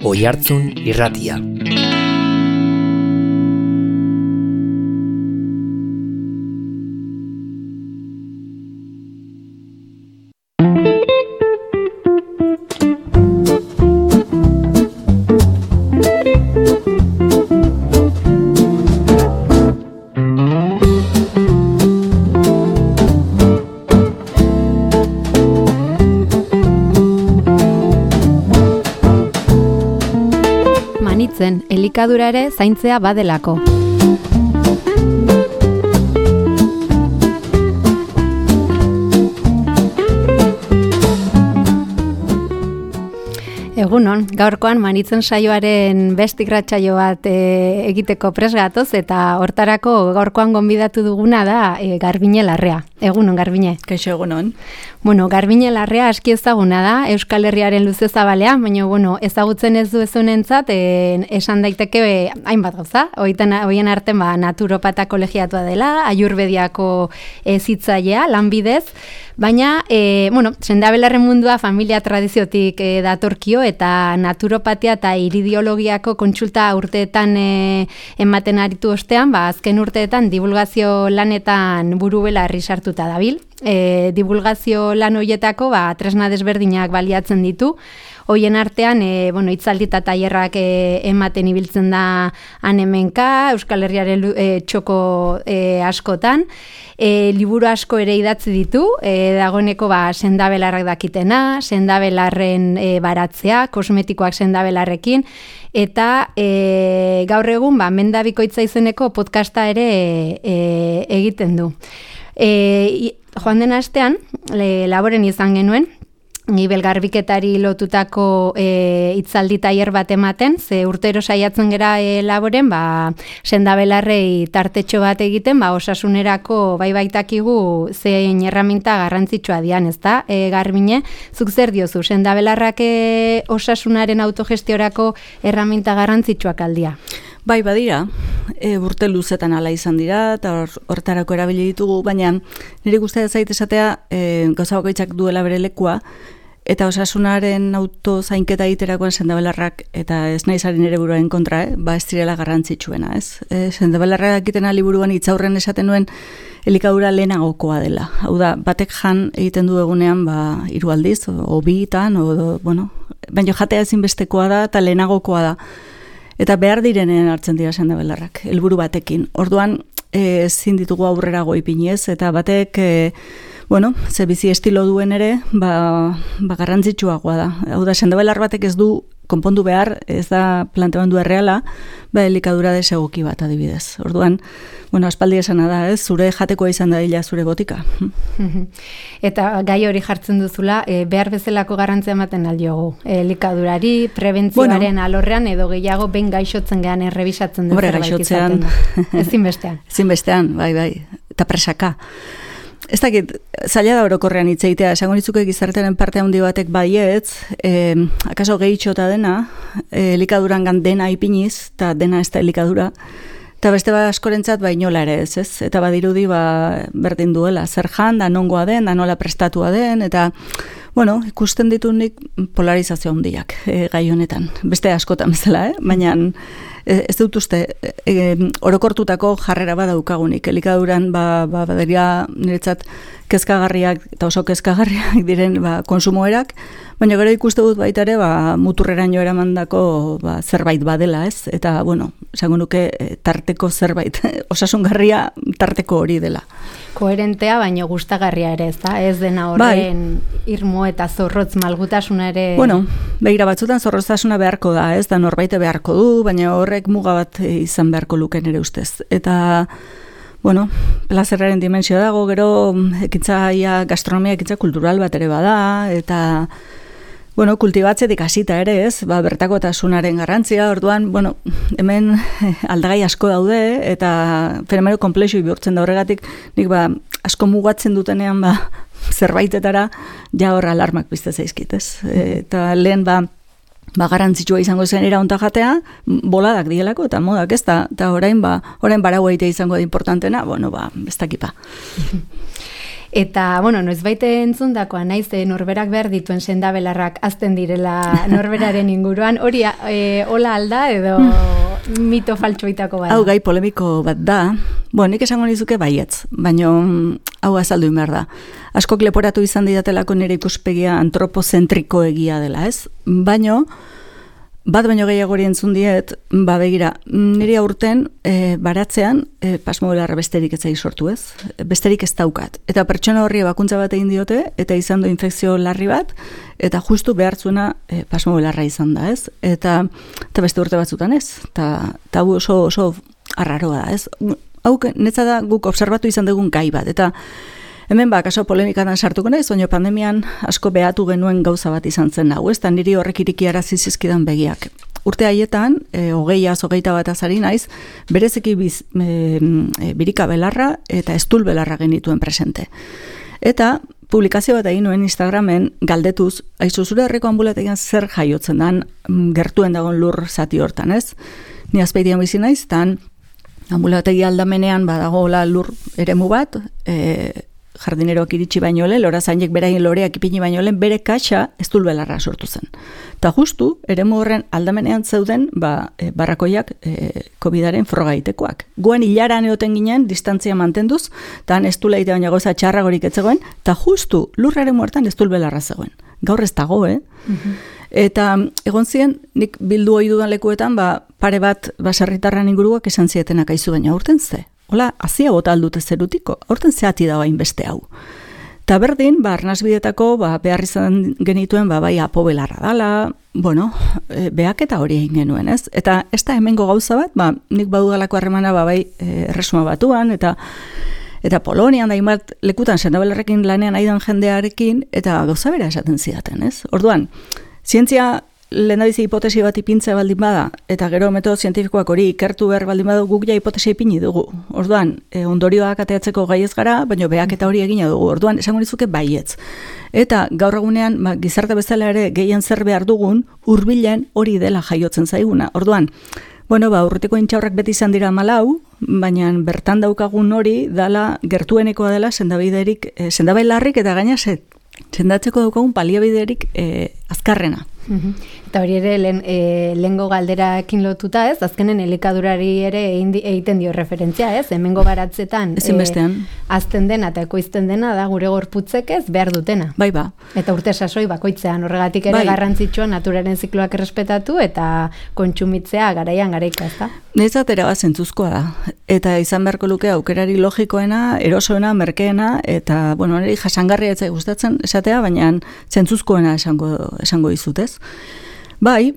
Oihartzun Irratia. Elikadura ere zaintzea badelako. Egunon, gaurkoan Manitzen saioaren beste irratsaio bat egiteko prest gatoz eta hortarako gaurkoan gonbidatu duguna da Garbine Larrea. Egunon, Garbine. Kaixo, egunon. Bueno, Garbine Larrea aski ezaguna da, Euskal Herriaren luze zabalea, baina ezagutzen ez du ezunentzat, esan daiteke hainbat gauza. Hoien artean naturopata kolegiatua dela, Ayurvediako zitzailea, lanbidez, baina, sendabelarren mundua familia tradiziotik datorkio eta naturopatia eta iridiologiako kontsulta urteetan ematen aritu ostean, azken urteetan divulgazio lanetan buru belarri sartuta dabil. Divulgazio lan horietako tresna desberdinak baliatzen ditu. Hoien artean, hitzaldi eta tailerrak ematen ibiltzen da hemenka, Euskal Herriaren txoko askotan. Liburu asko ere idatzi ditu, dagoeneko sendabelarrak dakitena, sendabelarren baratzea, kosmetikoak sendabelarrekin, eta gaur egun Mendabikoitza izeneko podcasta ere egiten du. Joan den astean, laboren izan genuen, Gibel garbiketari lotutako hitzaldi tailer bat ematen, ze urtero saiatzen gera laboren, sendabelarrei tartetxo bat egiten, osasunerako baitakigu zein erraminta garrantzitsua dian, ezta? Garbine, zuk zer diozu, sendabelarrak osasunaren autogestiorako erraminta garrantzitsuak aldia? Bai, badira, urte luzetan ala izan dira, eta hortarako erabili ditugu, baina nire guztia zait esatea gauza bakoitzak duela bere lekua, eta osasunaren autozainketa egiterakoan sendabelarrak, eta ez naizaren ere buruaren kontra, ez direla garrantzitsuena, ez? Sendabelarrak egiten liburuan hitzaurren esaten nuen elikadura lehenagokoa dela. Hau da, batek jan egiten du egunean 3 aldiz, o 2, baina jatea ezinbestekoa da eta lehenagokoa da. Eta behar direnean hartzen dira sendabelarrak, helburu batekin. Orduan, ezin ditugu aurrera goipinez, eta batek, ze bizi estilo duen ere, garrantzitsuagoa da. Hau da, sendabelar batek ez du konpondu behar, ez da planteamendu erreala, elikadura desegoki bat adibidez. Orduan, aspaldi esana da, zure jatekoa izan da dila zure botika. Eta gai hori jartzen duzula, behar bezalako garrantzia ematen aldiogu. Elikadurari, prebentzioaren alorrean, edo gehiago ben gaixotzen gehan errebisatzen dut zerbait izaten da. Ezinbestean. Ezinbestean, bai, eta presaka. Ez dakit, zaila da orokorrean hitzeitea, esango nitzuke gizartearen parte handi batek baietz, akaso gehitxota dena, elikadurangan dena ipiniz, eta dena ez da elikadura, eta beste askorentzat inola ere ez, eta badirudi berdin duela, zer jan, da nongoa den, da nola prestatua den, eta ikusten ditu nik polarizazio handiak gai honetan, beste askotan bezala, baina ez dut uste, orokortutako jarrera badaukagunik, elikaduran baderia niretzat kezkagarriak eta oso kezkagarriak diren konsumoerak, baina gero ikuste dut baita ere muturreraino eramandako zerbait badela, ez? Eta, esango nuke tarteko zerbait, osasungarria tarteko hori dela. Koherentea, baina gustagarria ere, ez da? Ez dena horren irmo eta zorrotz malgutasuna ere... Begira batzutan zorrotzasuna beharko da, ez da norbaite beharko du, baina horrek muga bat izan beharko luken ere ustez. Eta, plazerraren dimensio dago, gero ekintza gastronomia ekintza kultural bat ere bada, eta kultibatzetik hasita ere, ez, bertakotasunaren garrantzia, orduan, hemen aldagai asko daude, eta fenomeno konplexu bihurtzen da horregatik, nik asko mugatzen dutenean, zerbaitetara, ja hor alarmak pizte zaizkit, ez, eta lehen, garrantzitsua izango zen eraunta jatea, boladak dielako, eta modak ez da, eta orain barau egitea izango da importantena, ez dakipa. Eta, bueno, noizbaite entzundakoa naiz norberak behar dituen sendabelarrak azten direla norberaren inguruan, hori hola alda edo mito faltsuitako bada? Hau gai polemiko bat da, nik esango nizuke baietz, baina hau azaldu behar da. Askok leporatu izan didatelako nire ikuspegia antropozentriko egia dela, ez? Baina gehiago hori entzun diet, begira, nire aurten baratzean pasmobelarra besterik ez zai sortu, ez? Besterik ez daukat. Eta pertsona horri bakuntza bat egin diote, eta izan du infekzio larri bat, eta justu behartzuena pasmobelarra izan da, ez? Eta beste urte batzutan ez. Eta oso arraroa da, ez? Hau netza da guk observatu izan dugun gai bat, eta hemen kaso polemikadan sartuko naiz, baina pandemian asko behatu genuen gauza bat izan zen hau, ez? Niri horrek irikiarazi zizkidan begiak. Urte haietan, 20-hogeita bat azari naiz, bereziki birika belarra eta estul belarra genituen presente. Eta publikazio bat egin nuen Instagramen galdetuz, aizu zure herriko ambulategian zer jaiotzen dan gertuen dagoen lur zati hortan, ez? Ni Azpeitian bizi naiz, tan ambulategi aldamenean badagoela lur eremu bat, jardineroak iritsi baino lehen, lorazainek beraien loreak ipini baino lehen, bere kaxa estulbelarra sortu zen. Eta justu, eremu horren aldamenean zeuden, barrakoiak COVID-aren frogaitekoak. Guen hilaran eoten ginen, distantzia mantenduz, eta estulaite baina goza txarragorik etzegoen, eta justu, lur eremu hortan estulbelarra zegoen. Gaur ez dago, Eta egon ziren, nik bildu ohi dudan lekuetan, pare bat baserritarran inguruak esan zietenak aizu baina aurten ze. Hola, azia bota aldute zerutiko, aurten zehati da bain beste hau. Ta berdin, arnasbidetako, behar izan genituen, bai apobelarra dala, behak eta hori egin genuen, ez? Eta ez da hemengo gauza bat, nik badudalako harremana, bai Erresuma Batuan, eta Polonian, da inbat lekutan sendabelarrekin lanean aidan jendearekin, eta gauza bera esaten zidaten, ez? Orduan, zientzia lehendabizi hipotesi bat ipintze baldin bada, eta gero metodo zientifikoak hori ikertu behar baldin badu guk ja hipotesi ipini dugu. Orduan, ondorioak ateatzeko gai ez gara, baina behak eta hori egina dugu. Orduan, esango nizuke baietz. Eta gaur egunean, gizarte bezala ere gehien zer behar dugun, hurbilen hori dela jaiotzen zaiguna. Orduan, urrutiko intxaurrak beti izan dira 14, baina bertan daukagun hori dela gertuenekoa dela sendabelarrik eta gaina sendatzeko daukagun baliabiderik azkarrena. Eta hori ere lehengo galderakin lotuta, ez? Azkenen elikadurari ere egiten dio referentzia, ez? Hemengo baratzetan azten dena eta ekoizten dena da gure gorputzek ez behar dutena. Bai. Eta urte sasoi bakoitzean horregatik ere garrantzitsua naturaren zikloak errespetatu eta kontsumitzea garaian garaika, ez da? Nezatera bat zentzuzkoa da. Eta izan beharko luke aukerari logikoena, erosoena, merkeena, eta, niri jasangarria etzai gustatzen esatea, baina zentzuzkoena esango dizut, ez? Bai,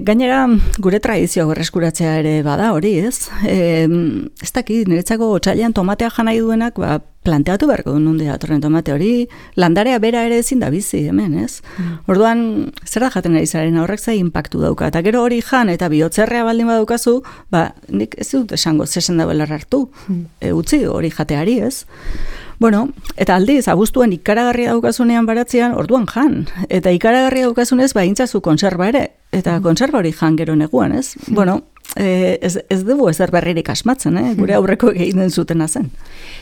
gainera gure tradizioa berreskuratzea ere bada hori, ez? Ez dakit, niretzako otsailean tomatea janai duenak, planteatu beharko du nonde datorren tomate hori, landarea bera ere ezin da bizi hemen, ez? Orduan, zer da jaten ari zaren horrek zai inpaktu dauka, eta gero hori jan eta bihotzerrea baldin badaukazu, nik ez dut esango zesen da belar hartu, utzi hori jateari, ez? Eta aldiz, abuztuen ikaragarria daukasunean baratzean, orduan jan. Eta ikaragarria daukazunez, intzazu konserba ere. Eta konserba hori jan gero neguan, ez? Ez dugu ezer berririk asmatzen, gure aurreko egiten zutena zen.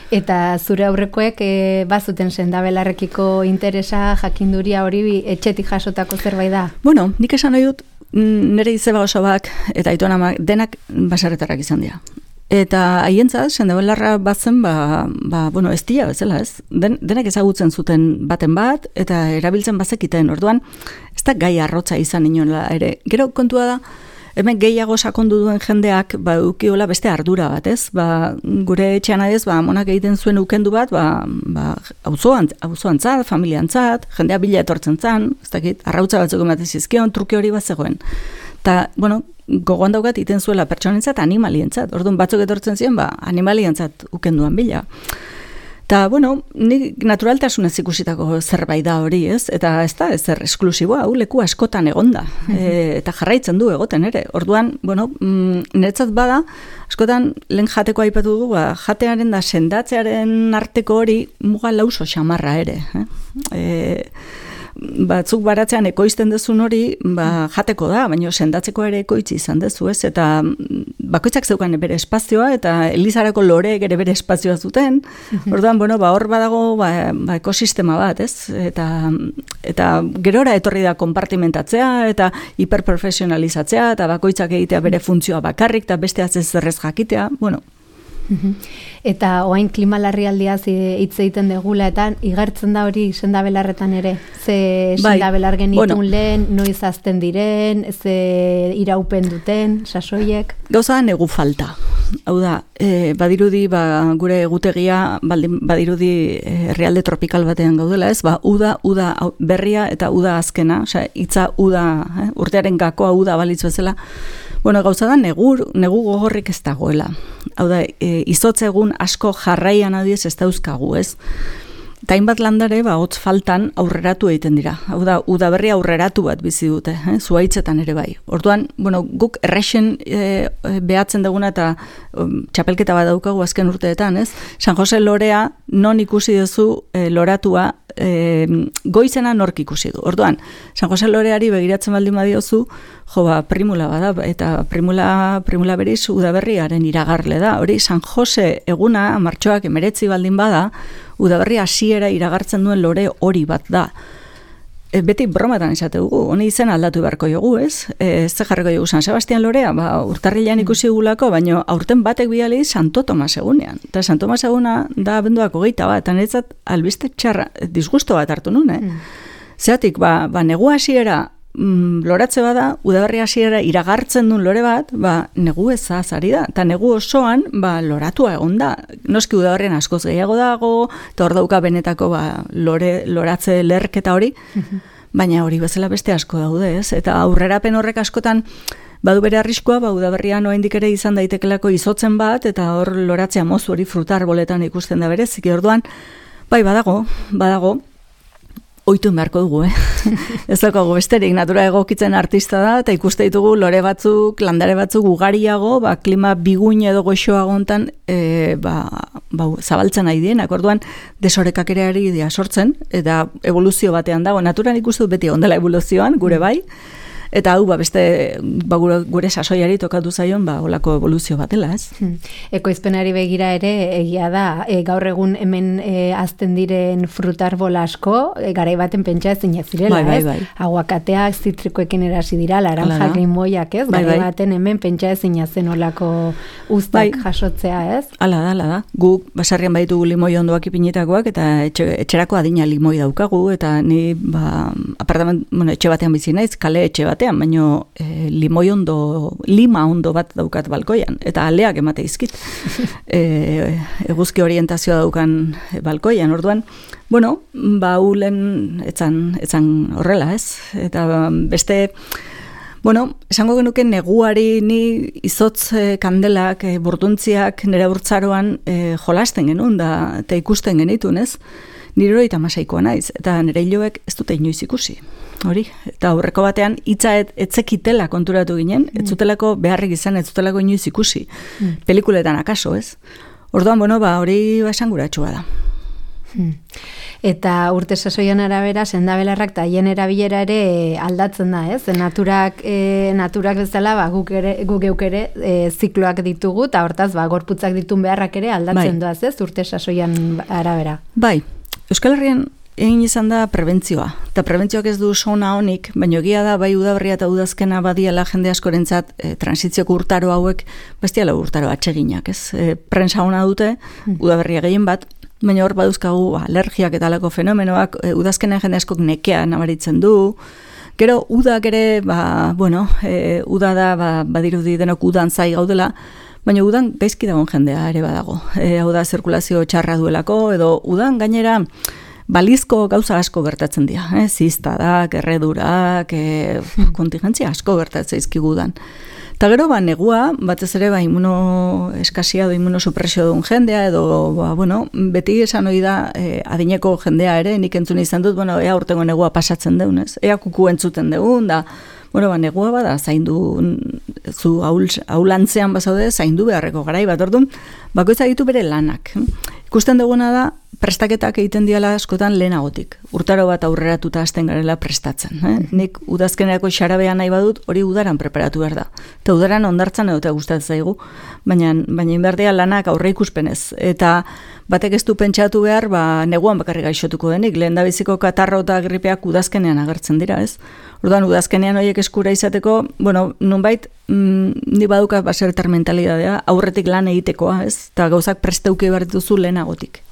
Eta zure aurrekoek bazuten sendabelarrekiko interesa, jakinduria hori etxetik jasotako zerbait da? Nik esan nahi dut, nire izeba osoak eta aitonamak denak baserretarrak izan dira. Eta haientzat, sendabelarra batzen, ez dira bezala, ez? Denak ezagutzen zuten baten bat, eta erabiltzen bazekiten, orduan, ez da gai arrotza izan inoela ere. Gero kontua da, hemen gehiago sakondu duen jendeak, ukiola beste ardura bat, ez? Gure etxean adez, monak egiten zuen ukendu bat, auzoantzat, familiantzat, jendea bila etortzen zan, ez dakit, arrautza batzuk ematen zizkion, truke hori bat zegoen. Eta, gogoan daukat iten zuela pertsonentzat, animalientzat. Orduan batzuk etortzen ziren, animalientzat ukenduan bila. Eta, nik naturaltasunez ikusitako zerbait da hori, ez? Eta ez da, ezer esklusiboa, hau leku askotan egonda. Eta jarraitzen du egoten ere. Orduan, niretzat bada, askotan lehen jateko aipatu dugu, jatearen da sendatzearen arteko hori muga lauso xamarra ere. batzuk baratzean ekoizten dezun hori, jateko da, baina sendatzeko ere ekoitzi izan dezu, ez? Eta bakoitzak zeukan bere espazioa, eta Elizarako loreek ere bere espazioa zuten. Orduan, hor badago ekosistema bat, ez? Eta gerora etorri da konpartimentatzea, eta hiperprofesionalizatzea, eta bakoitzak egitea bere funtzioa bakarrik, eta beste zerrez jakitea, Eta oain klima larrialdiaz hitz egiten degula, eta igartzen da hori sendabelarretan ere? Ze sendabelar genitun lehen, noiz azten diren, ze iraupen duten, sasoiek? Gauza da negu falta. Hau da, badirudi gure egutegia, badirudi herrialde tropikal batean gaudela, ez? Uda berria eta uda azkena, hitza uda, urtearen gakoa uda balitz bezala. Gauza da, negu gogorrik ez dagoela. Hau da, izotz egun asko jarraian adiez ez dauzkagu, ez? Eta hainbat landare, hotz faltan aurreratu egiten dira. Hau da, udaberri aurreratu bat bizi dute, zuhaitzetan ere bai. Orduan, guk errexen behatzen duguna eta txapelketa bat daukagu azken urteetan, ez? San Jose lorea non ikusi duzu loratua goizena nork ikusi du. Orduan, San Jose loreari begiratzen baldin badiozu, primula bada, eta primula beriz udaberriaren iragarle da. Hori, San Jose eguna, martxoak 19 baldin bada, udaberri hasiera iragartzen duen lore hori bat da. Beti bromatan esate dugu, honi izen aldatu beharko jogu, ez? Ez jarriko jogu San Sebastian lorea, urtarrilean ikusi gulako, baina aurten batek biali Santo Tomas egunean. Eta Santo Tomas eguna da abenduak 21 bat, eta netzat albiste txarra, disgusto bat hartu nun, Zeatik, negu hasiera loratze bada, udaberri hasiera iragartzen duen lore bat, negu ezaz ari da, eta negu osoan, loratua egon da. Noski udaberrian askoz gehiago dago, eta hor dauka benetako loratze lerketa hori, baina hori bezala beste asko daude, ez? Eta aurrerapen horrek askotan, badu bere arriskua, udaberrian oraindik ere izan daitekelako izotzen bat, eta hor loratzea mozu hori frutarboletan ikusten da berez, orduan, badago, oitu beharko dugu, Ez daukagu besterik, natura egokitzen artista da, eta ikuste ditugu lore batzuk, landare batzuk ugariago, klima biguin edo goxoago hontan, zabaltzen nahi dienak, orduan desorekak ere ari dira sortzen, eta evoluzio batean dago, naturan ikustu beti ondela evoluzioan, gure bai, eta hau beste gure sasoiari tokatu zaion olako evoluzio batela, ez? Ekoizpenari begira ere egia da, gaur egun hemen azten diren frutarbol asko, garai baten pentsa ezin zirela, ez? Aguakateak, zitrikoekin erasi dira, laranjak, limoiak, ez? Garai baten hemen pentsa ezin zen olako uztak jasotzea, ez? Hala da. Guk basarrian baditugu limoi ondoak ipinitakoak, eta etxerako adina limoi daukagu, eta ni etxe batean bizi naiz, kale etxe batean, baina lima ondo bat daukat balkoian, eta aleak emate izkit. Eguzki orientazioa daukan balkoian, orduan, ulen etzan horrela, ez? Eta beste, esango genuke neguari ni izotz kandelak, burduntziak nire urtzaroan jolasten genuen, eta ikusten genitun, ez? Nire 36koa naiz, eta nire hiloek ez dute inoiz ikusi. Hori, eta aurreko batean hitza etzekitela konturatu ginen, ez zutelako beharrik izan, ez zutelako inoiz ikusi. Pelikuletan akaso, ez? Orduan, hori esanguratsua da. Eta urte sasoian arabera, sendabelarrak eta haien erabilera ere aldatzen da, ez? Naturak bezala, guk geuk ere zikloak ditugu, eta hortaz, gorputzak ditun beharrak ere aldatzen doaz, ez? Urte sasoian arabera. Bai, Euskal Herrian egin izan da prebentzioa. Eta prebentzioak ez du sona honik, baina egia da, udaberria eta udazkena badiala jende askorentzat transitzioko urtaro hauek, bestiala urtaro atseginak, ez? Prensa hona dute, udaberria gehien bat, baina hor baduzkagu alergiak eta alako fenomenoak, udazkenen jende askok nekea nabaritzen du. Gero, udak ere, uda da, badirudi denok udan zai gaudela, baina udan gaizki dagoen jendea ere badago. Hau da, zirkulazio txarra duelako, edo udan gainera, balizko gauza asko gertatzen dira, ziztadak, erredurak, kontingentzia asko gertatzen izkigudan. Eta gero, negua, batez ere, imunoeskasia edo imunosupresio duen jendea, edo, beti esan hori da, adineko jendea ere, nik entzun izan dut, ea urtengo negua pasatzen deunez, ea kuku entzuten deun, da, negua bada, zaindu, zu aulantzean bazaude, zaindu beharreko garai bat, orduan, bakoitza ditu bere lanak. ikusten duguna da, prestaketak egiten diala askotan lehenagotik. Urtaro bat aurreratuta hasten garela prestatzen. Nik udazkenerako xarabea nahi badut, hori udaran preparatu behar da. Eta udaran ondartzan edo gustatzen zaigu, baina inberdea lanak aurre ikuspenez. Eta batek ez du pentsatu behar, neguan bakarrik gaixotuko denik. Lehendabiziko katarro eta gripeak udazkenean agertzen dira, ez? Orduan, udazkenean horiek eskura izateko, nonbait, ni baduka basertar mentalidadea, aurretik lan egitekoa, ez? Eta gauzak presteuke behar dituzu lehenagotik.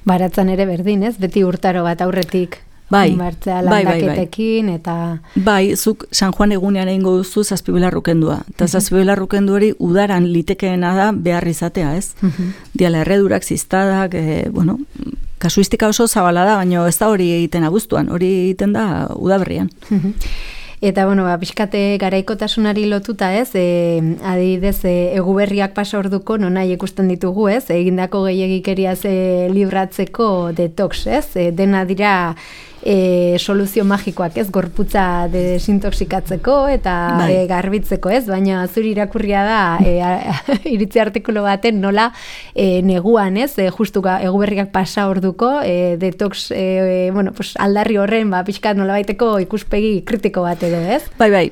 Baratzan ere berdin, ez? Beti urtaro bat aurretik martzea landaketekin, eta... Bai, zuk San Juan egunean egingo duzu zazpibelarrukendua. Eta zazpibelarrukendu hori udaran litekeena da behar izatea, ez? Diala erredurak, ziztadak, kasuistika oso zabala da, baina ez da hori egiten abuztuan, hori egiten da udaberrian. Eta, pixkate garaikotasunari lotuta, ez, adibidez, eguberriak pasa orduko, nahi ikusten ditugu, ez, egindako gehiagikeriaz libratzeko detox, ez, dena dira soluzio magikoak, ez, gorputza desintoxikatzeko eta garbitzeko, ez, baina zuri irakurria da iritzi artikulu baten nola neguan, ez, justu eguberriak pasa orduko detox, aldarri horren, pixkat nola baiteko ikuspegi kritiko bat edo, ez? Bai,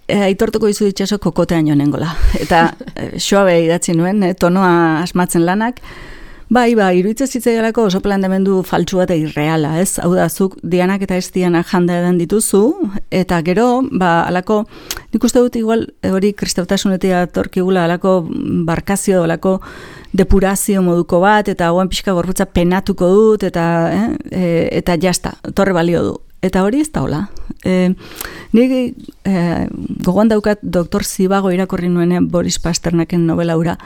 aitortuko dizu ditxaso kokotean joan nengola. Eta xoabe idatzi nuen, tonoa asmatzen lanak. Bai, iruditzen zitzaialako oso planteamendu faltsu bat irreala, ez? Hau da, zuk dianak eta ez dianak janda edan dituzu, eta gero, alako, nik uste dut igual, hori kristautasunetia torkigula, alako barkazio, alako depurazio moduko bat, eta hauen pixka gorputza penatuko dut, eta jasta, torre balio du. Eta hori ez da hola. Nik gogoan daukat Dr. Zivago irakorri nuenean Boris Pasternaken novela hura.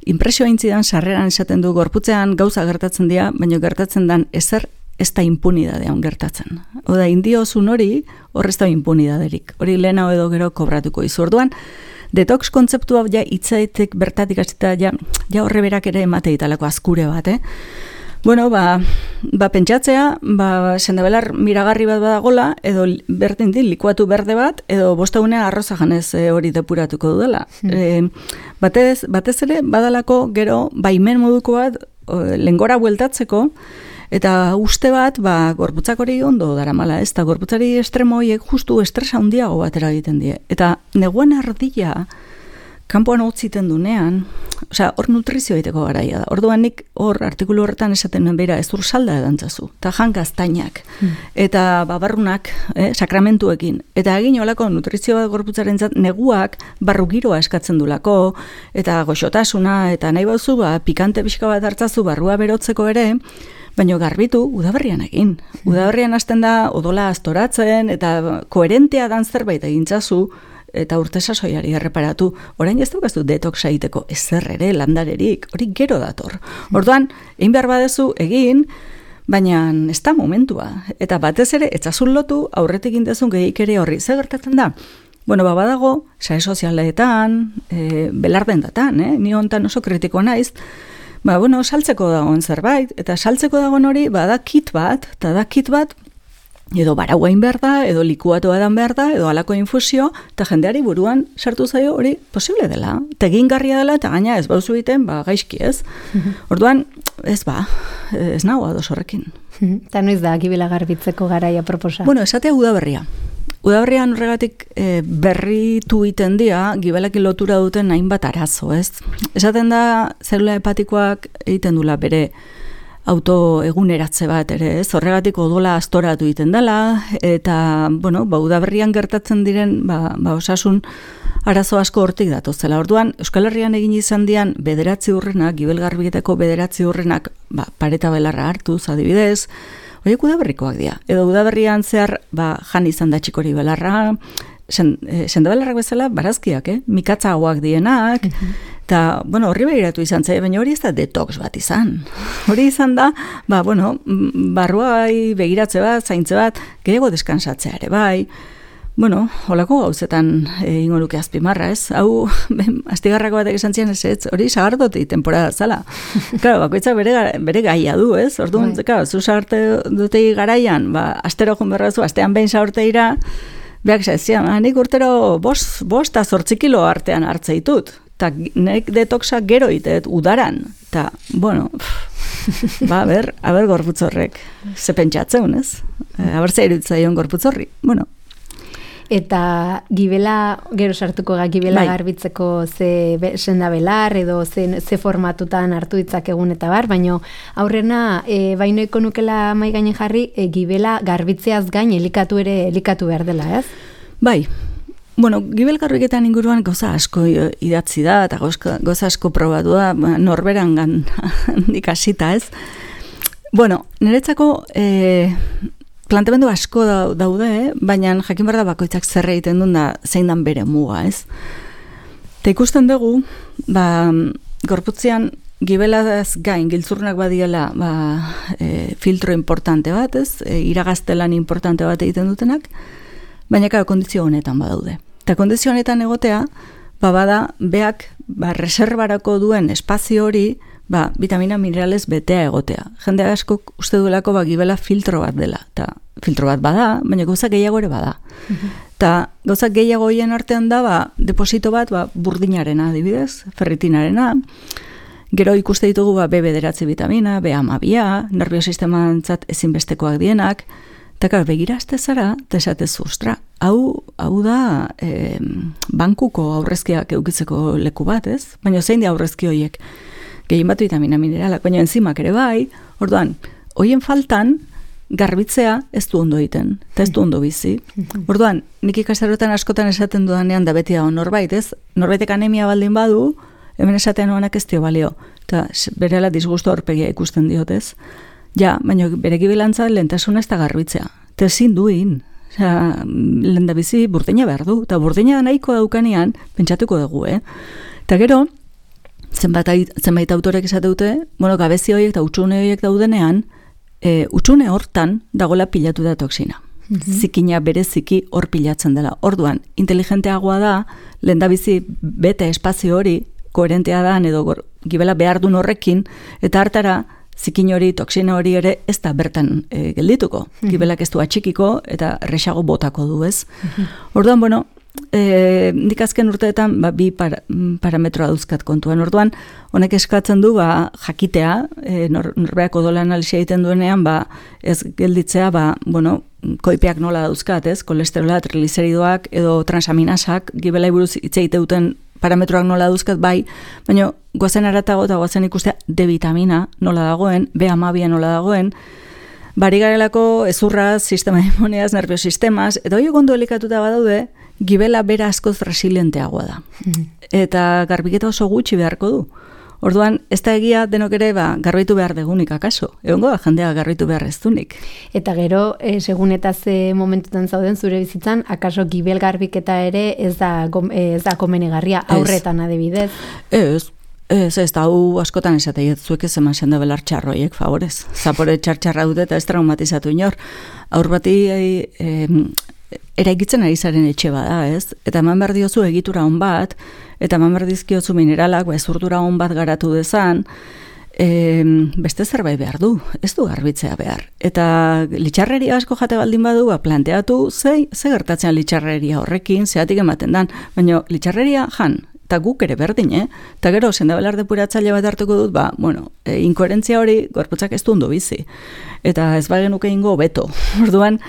Impresioa intzidan sarreran esaten du gorputzean gauza gertatzen dira, baina gertatzen dan ezer ez da impunidadean gertatzen. Oda, indiozun hori, horrez da impunidaderik. Hori lehena edo gero kobratuko izu. Orduan, detox kontzeptua ja itzaitek bertatik hasita ja horre berak ere emategitalako azkure bat, pentsatzea, sendabelar miragarri bat badagola, edo berdin likuatu berde bat, edo bostegunea arroza janez hori depuratuko dudala. Batez ere, badalako gero baimen moduko bat lengora bueltatzeko, eta uste bat, gorputzak hori ondo daramala, ez da gorputzari estremo horiek justu estresa handiago batera egiten die. Eta neguan ardila, kanpoan hotziten dunean, hor nutrizio egiteko garaia da. Orduan nik hor artikulu horretan esaten nuen beira, ez salda edantzazu, eta jan gaztainak, eta barrunak, sakramentuekin, eta egin olako nutrizio bat gorputzaren zat, neguak barrugiroa eskatzen dulako, eta goxotasuna, eta nahi bauzu, pikante pixka bat hartzazu barrua berotzeko ere, baina garbitu udaberrian egin. Udaberrian hasten da odola astoratzen, eta koherentea dan zerbait egintzazu, eta urte sasoiari erreparatu, orain ez daukazu detoxa egiteko ezer ere, landarerik, hori gero dator. Orduan, egin behar badezu egin, baina ez da momentua. Eta batez ere, etzazun lotu, aurretik indezun gehik ere horri. Zer gertatzen da? Badago, sare sozialetan, belarden datan, ni hontan oso kritikoa naiz, saltzeko dagoen zerbait, eta saltzeko dagoen hori, da kit bat, eta da kit bat, edo barauain behar da, edo likuatu edan behar da, edo alako infusio, eta jendeari buruan sartu zaio hori posible dela. Tegingarria dela, eta gaina ez bauzu egiten, gaizki ez. Orduan, ez nago ados horrekin. Eta noiz da, gibela garbitzeko garaia proposa? Esatea udaberria. Udaberrian horregatik berritu iten dira, gibelekin lotura duten hainbat arazo, ez? Esaten da, zelula hepatikoak egiten dula bere autoeguneratze bat ere, ez? Horregatik odola astoratu egiten dela, eta, udaberrian gertatzen diren, osasun arazo asko hortik datozela. Orduan, Euskal Herrian egin izan dian bederatzi urrenak, gibelgarbietako bederatzi urrenak, pareta belarra hartuz, adibidez, horiek udaberrikoak dira. Edo udaberrian zehar, jan izan da txikori belarra, sendabelarrak bezala, barazkiak, mikatza hauak dienak, eta, horri behiratu izan zaila, baina hori ez da detox bat izan. Hori izan da, barruai begiratze bat, zaintze bat, gehiago deskansatzea ere, bai. Holako gauzetan ingo luke azpimarra, ez? Hau, astigarrako batek esan zian ez, hori sagardoti temporada zala. Claro, bakoitzak bere gaia du, ez? Orduan, zu sagardotei garaian, astero joan berrazu, astean behin sagorteira, beak zian, nik urtero 5 eta 8 kilo artean hartze ditut. eta nek detoxa gero itet, udaran, eta, bueno, a ber gorputz horrek, ze pentsatzen, ez? Aber ze iruditzaion gorputz horri, bueno. Eta gibela, gero sartuko gibela garbitzeko ze senda belar edo ze formatutan hartu ditzakegun eta bar, baina aurrena bainoiko nukela mai gainen jarri gibela garbitzeaz gain elikatu behar dela, ez? Bai, bueno, gibel garbiketan inguruan goza asko idatzi da eta goza asko probatu da, norberan handik hasita, ez? Bueno, niretzako planteamendu asko daude, baina jakin behar da bakoitzak zer egiten duen da zein dan bere muga, ez? Eta ikusten dugu, gorputzean gibelaz gain, giltzurnak badiela filtro importante bat, ez? Iragaztelan importante bat egiten dutenak, baina kondizio honetan badaude. Eta kondizio honetan egotea, bada, beak reservarako duen espazio hori, vitamina minerales betea egotea. Jende askok uste duelako gibela filtro bat dela. Eta filtro bat bada, baina gauza gehiago ere bada. Eta gauza gehiago hien artean da, deposito bat burdinarena, adibidez, ferritinarena. Gero ikuste ditugu B9 vitamina, B12, nerviosistemantzat ezinbestekoak dienak. Eta begira azte zara, eta esatez, ostra, hau da bankuko aurrezkiak eukitzeko leku bat, ez? Baina zein di aurrezki horiek? Gehien bat vitamina mineralak, baina enzimak ere bai, orduan, hoien faltan garbitzea ez du ondo egiten, eta ez du ondo bizi. Orduan, nik ikastarotan askotan esaten dudanean da beti dago norbait, ez? Norbaitek anemia baldin badu, hemen esatean honak ez dio balio, eta berela disgustu aurpegia ikusten diotez. Ja, baina bere gibilantza lehentasuna ez da garbitzea. Eta ezin duin. Lehen da bizi burdina behar du. Eta burdina nahiko daukanean, pentsatuko dugu, Eta gero, zenbait autorek esate dute, gabezi horiek eta utxune horiek daudenean, utxune hortan dagoela pilatu da toksina. Zikina bereziki hor pilatzen dela. Orduan, inteligenteagoa da, lehen da bizi bete espazio hori, koherentea da, edo gibela behar duen horrekin, eta hartara, zikin hori, toksina hori ere ez da bertan geldituko. Gibelak ez du atxikiko eta resago botako du, ez? Orduan, bueno, nik azken urteetan bi parametroa dauzkat kontuan. Orduan, honek eskatzen du jakitea, norbeak odola analisia egiten duenean, ez gelditzea, koipeak nola dauzkat, ez? Kolesterola, trigliseridoak edo transaminasak, gibelai buruz hitz egiten parametroak nola dauzkat bai, baina goazen aratago eta goazen ikustea D vitamina nola dagoen, B12 nola dagoen, bari garelako ezurraz, sistema immuneaz, nerviosistemaz, eta hori ondo elikatuta badaude, gibela bera askoz resilienteagoa da. Eta garbiketa oso gutxi beharko du. Orduan, ez da egia denok ere garbitu behar degunik akaso. Egongo da jendea garbitu behar ez dunik. Eta gero, segun eta ze momentutan zauden zure bizitzan, akaso gibel garbiketa ere ez da komenigarria aurretan adibidez? Ez da hau askotan esateiet zuek ez eman senda belar txarroiek, favorez. Zapore txarra dute eta ez traumatizatu inor. Aur bati eraikitzen ari zaren etxe bada, ez? Eta eman behar diozu egitura hon bat, eta eman behar dizkiotzu mineralak, ezurdura hon bat garatu dezan, beste zerbait behar du, ez du garbitzea behar. Eta litxarreria asko jate baldin badu, planteatu ze gertatzen litxarreria horrekin, zeatik ematen dan, baina litxarreria jan, eta guk ere berdin, eta gero sendabelar depuratzaile bat hartuko dut, inkoherentzia hori gorputzak ez du ondo bizi, eta ez bagenuke ingo beto. Orduan,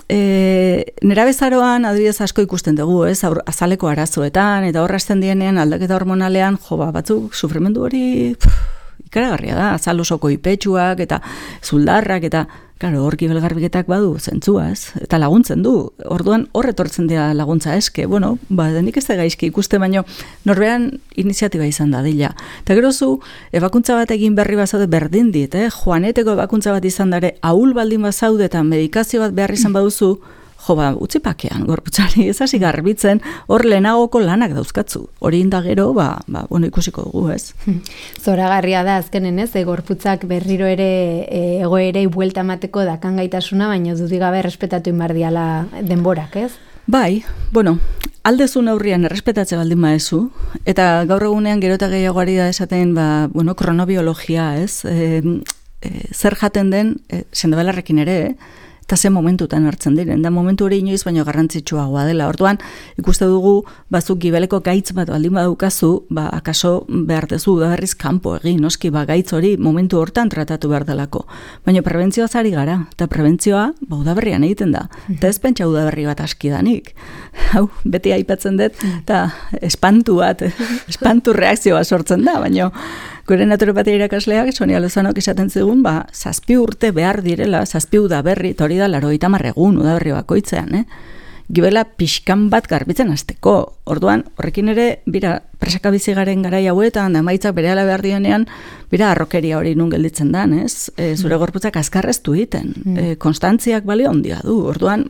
nerabezaroan adibidez asko ikusten dugu, azaleko arazoetan, eta horrazten dienean aldaketa hormonalean, batzuk sufrimendu hori ikaragarria da, azal osoko ipetxuak, eta zuldarrak, eta hor gibelgarbiketak badu zentzua, ez? Eta laguntzen du. Orduan horretortzen dira laguntza eske. Denik ez da gaizki ikuste, baino norbean iniziatiba izan da dila. Eta gero zu, ebakuntza bat egin berri bazaude berdin dit, joaneteko ebakuntza bat izan dare, ahul baldin bazaude eta medikazio bat behar izan baduzu, utzi pakean, gorputzari, ez hasi garbitzen, hor lehenagoko lanak dauzkatzu. Hori inda gero, ikusiko dugu, ez? Zoragarria da, azkenen ez, gorputzak berriro ere egoerei buelta emateko dakan gaitasuna, baina dudigabe errespetatu inbardiala denborak, ez? Bai, aldezu neurrian errespetatze baldin maezu, eta gaur egunean gero eta gehiagoari da esaten, kronobiologia, ez? Zer jaten den, sendabelarrekin ere, eta ze momentutan hartzen diren, da momentu hori inoiz baino garrantzitsuagoa dela. Orduan, ikuste dugu, bazuk gibeleko gaitz bat baldin badaukazu, akaso behar dezu udaberriz kanpo egin, noski, gaitz hori momentu hortan tratatu behar delako. Baina prebentzioa zari gara, eta prebentzioa udaberrian egiten da. Eta ez pentsa udaberri bat askidanik. Hau, beti aipatzen dut, eta espantu reakzioa sortzen da, baina gure naturopatia irakasleak, Sonia Lozanok esaten zigun, 7 urte behar direla, 7 udaberri, eta hori da 80 egun udaberri bakoitzean, Gibela pixkan bat garbitzen hasteko. Orduan, horrekin ere, presaka bizi garen garai hauetan, da maitzak berehala behar dienean, arrokeria hori nun gelditzen dan, ez? Zure gorputzak azkarreztu egiten. Konstantziak balio handia du. Orduan,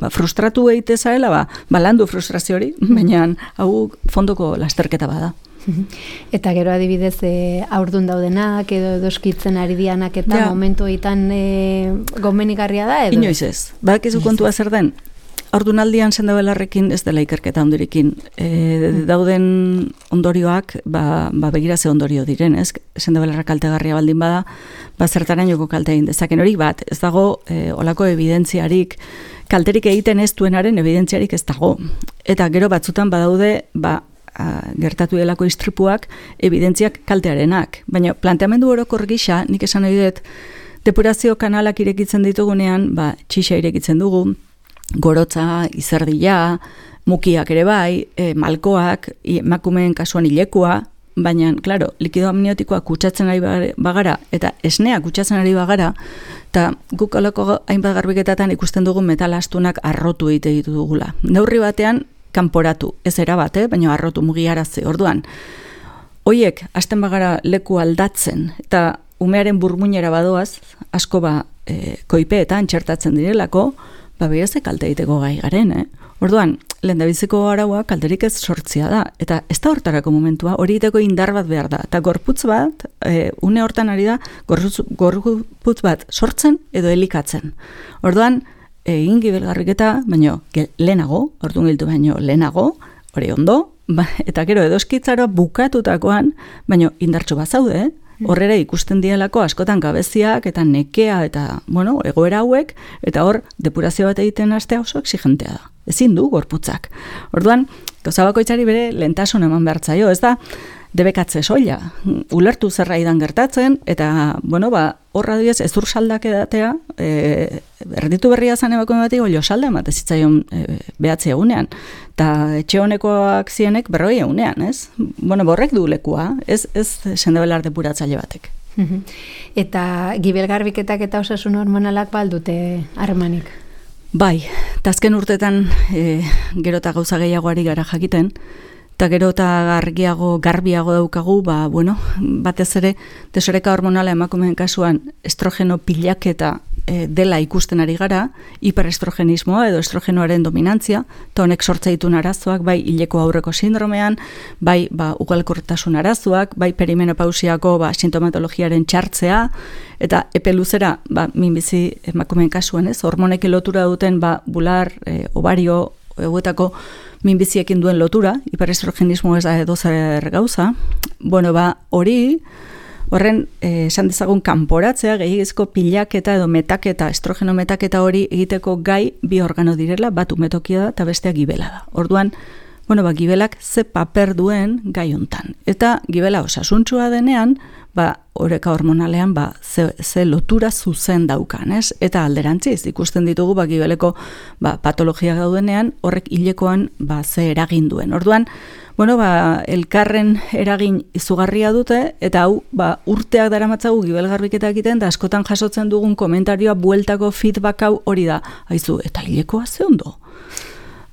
frustratu egite zarela, landu frustrazio hori, baina hau fondoko lasterketa bada. Eta gero adibidez aurdun daudenak edo edoskitzen ari dianak eta momentu egiten gomenigarria da edo? Inoiz ez. Badakizu kontua zer den? Aurdunaldian sendabelarrekin ez dela ikerketa ondorekin. Dauden ondorioak, begira ze ondorio diren, ez? Sendabelarra kaltegarria baldin bada, zertarainoko kalte egin dezaken hori bat. Ez dago olako evidentziarik, kalterik egiten ez duenaren evidentziarik ez dago. Eta gero batzutan badaude, gertatu delako istripuak, evidentziak kaltearenak. Baina planteamendu orokor gisa, nik esan nahi dut, depurazio kanalak irekitzen ditugunean, txixa irekitzen dugu, gorotza, izerdila, mukiak ere bai, malkoak, emakumeen kasuan ilekua, baina, klaro, likido amniotikoa kutsatzen ari bagara, eta esnea kutsatzen ari bagara, eta guk alako hainbat garbiketatan ikusten dugu metal astunak arrotu egite ditu dugula. Neurri batean, kanporatu, ez erabat, baina arrotu mugiarazi. Orduan, hoiek hasten bagara leku aldatzen, eta umearen burmuinera badoaz, asko koipeetan txertatzen direlako, beraz kalte egiteko gai garen, Orduan, lehendabiziko araua kalterik ez sortzia da, eta ez da hortarako momentua, hori egiteko indar bat behar da, eta gorputz bat, une hortan ari da, gorputz bat sortzen edo elikatzen. Orduan, egin gibelgarriketa, baino lehenago, orduan giltu baino lehenago, hori ondo, eta gero edoskitzaroa bukatutakoan, baino indartxo bat zaude, horrera ikusten dielako askotan gabeziak eta nekea eta, egoera hauek, eta hor depurazio bat egiten hastea oso exigentea da. Ezin du gorputzak. Orduan, gauza bakoitzari bere lehentasun eman behar zaio, ez da, debekatze soila, ulertu zerra idan gertatzen, eta, horra duiz, ezur saldak edatea, erditu berria zan ebako ematik, olio salda emate zitzaion behatzi egunean, eta etxe honekoak zienek 40 egunean, ez? Borrek du lekua, ez sendabelar depuratzaile batek. Eta gibelgarbiketak eta osasun hormonalak baldute harremanik? Bai, eta azken urtetan gero eta gauza gehiagoari gara jakiten, eta gero eta garbiago daukagu, batez ere, desoreka hormonala emakumeen kasuan estrogeno pilaketa dela ikusten ari gara, hiperestrogenismoa edo estrogenoaren dominantzia, eta honek sortza ditun arazoak, bai hileko aurreko sindromean, bai ugalkortasun arazoak, bai perimenopausiako sintomatologiaren txartzea, eta epe luzera, minbizi emakumeen kasuan, hormonek lotura duten bular, ovario, eguetako minbiziekin duen lotura, hiperestrogenismo ez da edozer gauza, hori, horren, esan dezagun kanporatzea, gehiagizko pilaketa edo metaketa, estrogeno metaketa hori egiteko gai bi organo direla, bat umetokia da eta bestea gibela da. Orduan, gibelak ze paper duen gai hontan. Eta gibela osasuntsua denean, oreka hormonalean ze lotura zuzen daukan, ez? Eta alderantziz, ikusten ditugu gibeleko patologia gaudenean, horrek hilekoan ze eragin duen. Orduan, elkarren eragin izugarria dute, eta hau, urteak daramatzagu gibelgarbiketa egiten, da askotan jasotzen dugun komentarioa bueltako feedback hau hori da. Haizu, eta hilekoa ze ondo?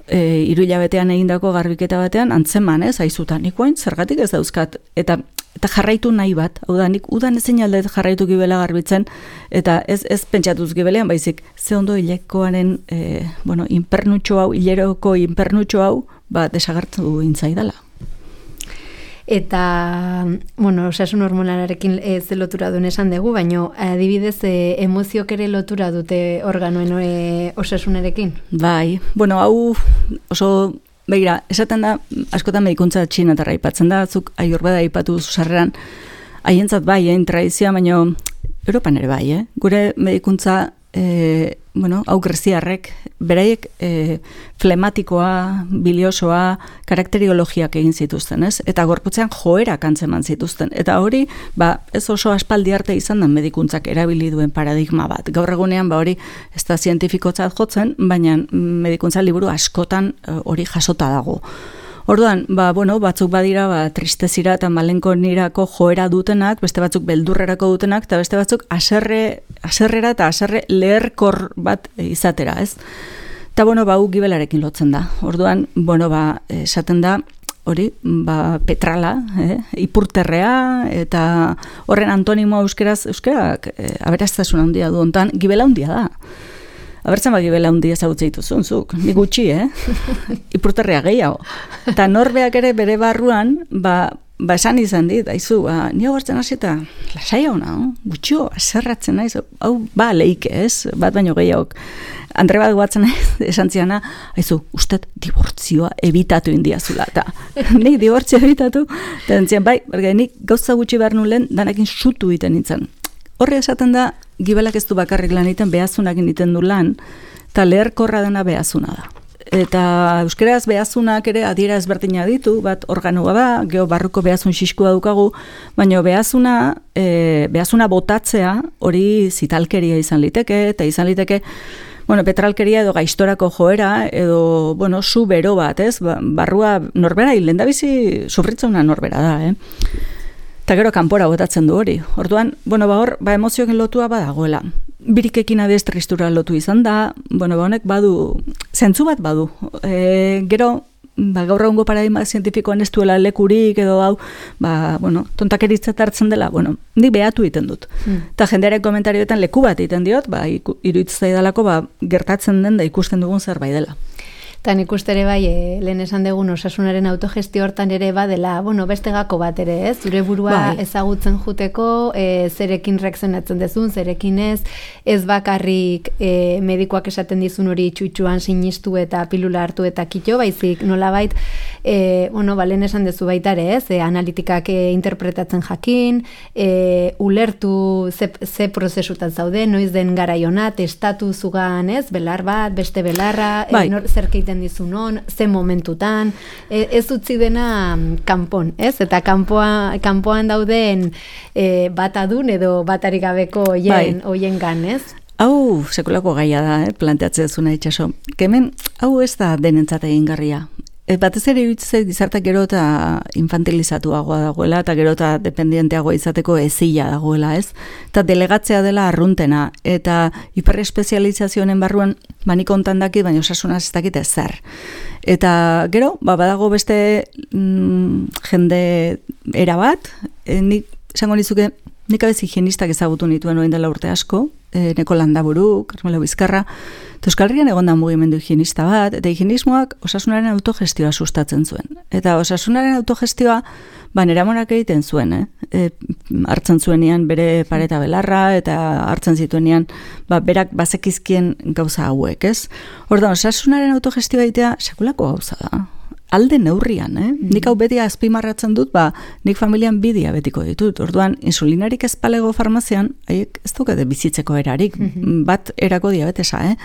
3 hilabetean egindako garbiketa batean, antzeman, ez? Haizutan, nikoain, zergatik ez dauzkat, eta jarraitu nahi bat, hau da, nik udan ezin aldet jarraitu gibela garbitzen, eta ez pentsatuz gibelean, baizik, ze ondo hilekoaren, impernutxo hau, hileroko impernutxo hau, desagertu intzaidala. Eta, osasun hormonalarekin ez lotura duen esan dugu, baina adibidez emoziok ere lotura dute organoen osasunarekin? Bai, hau oso, begira, esaten da, askotan medikuntza txinatarra aipatzen da, zuk Ayurveda aipatu zuzarreran, haientzat bai, tradizioa, baina Europan ere bai, gure medikuntza hau greziarrek, beraiek flematikoa, biliosoa, karakteriologiak egin zituzten, ez? Eta gorputzean joerak antzeman zituzten. Eta hori, ez oso aspaldi arte izan da medikuntzak erabili duen paradigma bat. Gaur egunean, hori ez da zientifikotzat jotzen, baina medikuntza liburu askotan hori jasota dago. Orduan, batzuk badira tristezira eta malenkonirako joera dutenak, beste batzuk beldurrerako dutenak, eta beste batzuk haserrera eta haserre leherkor bat izatera, ez? Eta, hau gibelarekin lotzen da. Orduan, esaten da, hori, petrala, ipurterrea, eta horren antonimoa euskarak aberaztasun handia du hontan, gibela handia da. Abertzen gibela handia ezagutzen dituzun, zuk, ni gutxi, ipurterrea gehiago. Eta norbeak ere bere barruan, esan izan dit, aizu, ni hau hartzen hasita, lasai hona, gutxio, aserratzen naiz, hau, leike, ez, bat baino gehiago. Andre bat guatzen esan ziana, aizu, usted dibortzioa ebitatu indiazula, eta nik dibortzioa ebitatu, eta entzian, nik gauza gutxi behar nulen, danakin sutu iten nintzen. Horre esaten da, gibelak ez du bakarrik lan egiten, behazunak egiten du lan, eta leherkorra dena behazuna da. Eta euskeraz behazunak ere adiera ezberdina ditu, bat organoa da, geho barruko behazun xiskua dukagu, baina behazuna botatzea hori zitalkeria izan liteke, eta izan liteke, petralkeria edo gaistorako joera, edo, su bero bat, ez? Barrua norbera, lehendabizi sufritzauna norbera da, Eta gero kanpora botatzen du hori. Orduan, hor, emozioekin lotua badagoela. Birikekin adestristura lotu izan da, honek badu, zentzu bat badu. Gero, gaur egungo paradigma zientifikoan ez duela lekurik edo hau, tontakeritzat hartzen dela, nik behatu egiten dut. Eta jendearen komentarioetan leku bat egiten diot, iruditzai dalako, gertatzen den da ikusten dugun zerbait dela. Eta nik uste ere lehen esan dugun osasunaren autogestio hortan ere badela, beste gako bat ere, ez? Zure burua ezagutzen juteko, zerekin reakzionatzen dezun, zerekin ez bakarrik medikoak esaten dizun hori txutxuan sinistu eta pilula hartu eta kito, baizik nolabait, lehen esan dezu baita ere, ez? Analitikak interpretatzen jakin, ulertu ze prozesutan zaude, noiz den garaiona, testatu zugan, ez? Belar bat, beste belarra, zerkeiten dizun on, ze momentutan, ez utzi dena kanpon, ez? Eta kanpoan dauden bat adun edo batarik gabeko oien gan, ez? Hau sekulako gaia da, planteatzen duzuna itxaso. Hemen, hau ez da denentzat egingarria. Batez ere iruditzen gizartak gero eta infantilizatuagoa dagoela, eta gero eta dependienteagoa izateko ezila dagoela, ez? Eta delegatzea dela arruntena, eta hiperespezializazioen barruan nik ontan dakit, baina osasunaz ez dakit ezer. Eta gero, badago beste jende erabat, nik esango nizuke, nik abez higienistak ezagutu nituen orain dela urte asko, Neko Landaburu, Carmelo Bizkarra, eta Euskal Herrian egon da mugimendu higienista bat, eta higienismoak osasunaren autogestioa sustatzen zuen. Eta osasunaren autogestioa, neramonak egiten zuen, hartzen zuenean bere pareta belarra, eta hartzen zituenean, berak bazekizkien gauza hauek, ez? Orduan, osasunaren autogestioa egitea sekulako gauza da. Alde neurrian, Nik hau beti azpimarratzen dut, nik familian bi diabetiko ditut. Orduan, insulinarik ez palego farmazian, haiek ez dukete bizitzeko erarik, bat erako diabetesa,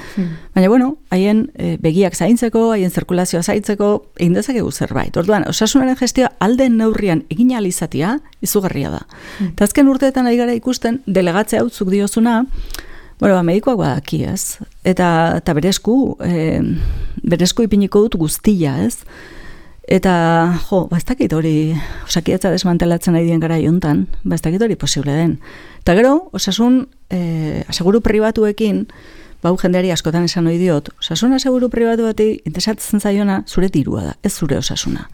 Baina, haien begiak zaintzeko, haien zirkulazioa zaintzeko, egin dezakegu zerbait. Orduan, osasunaren gestioa alde neurrian egin alizatia, izugarria da. Eta azken urteetan ari gara ikusten, delegatzea utzuk diozuna, medikoak badaki, ez? Eta berezku ipiniko dut guztia, ez? Eta, ez dakit hori, osakidatza desmantelatzen nahi dien gara jontan, ez dakit hori posible den. Eta gero, osasun, aseguru pribatuekin, jendeari askotan esan ohi diot, osasun aseguru pribatu bati interesatzen zaiona zure dirua da, ez zure osasuna.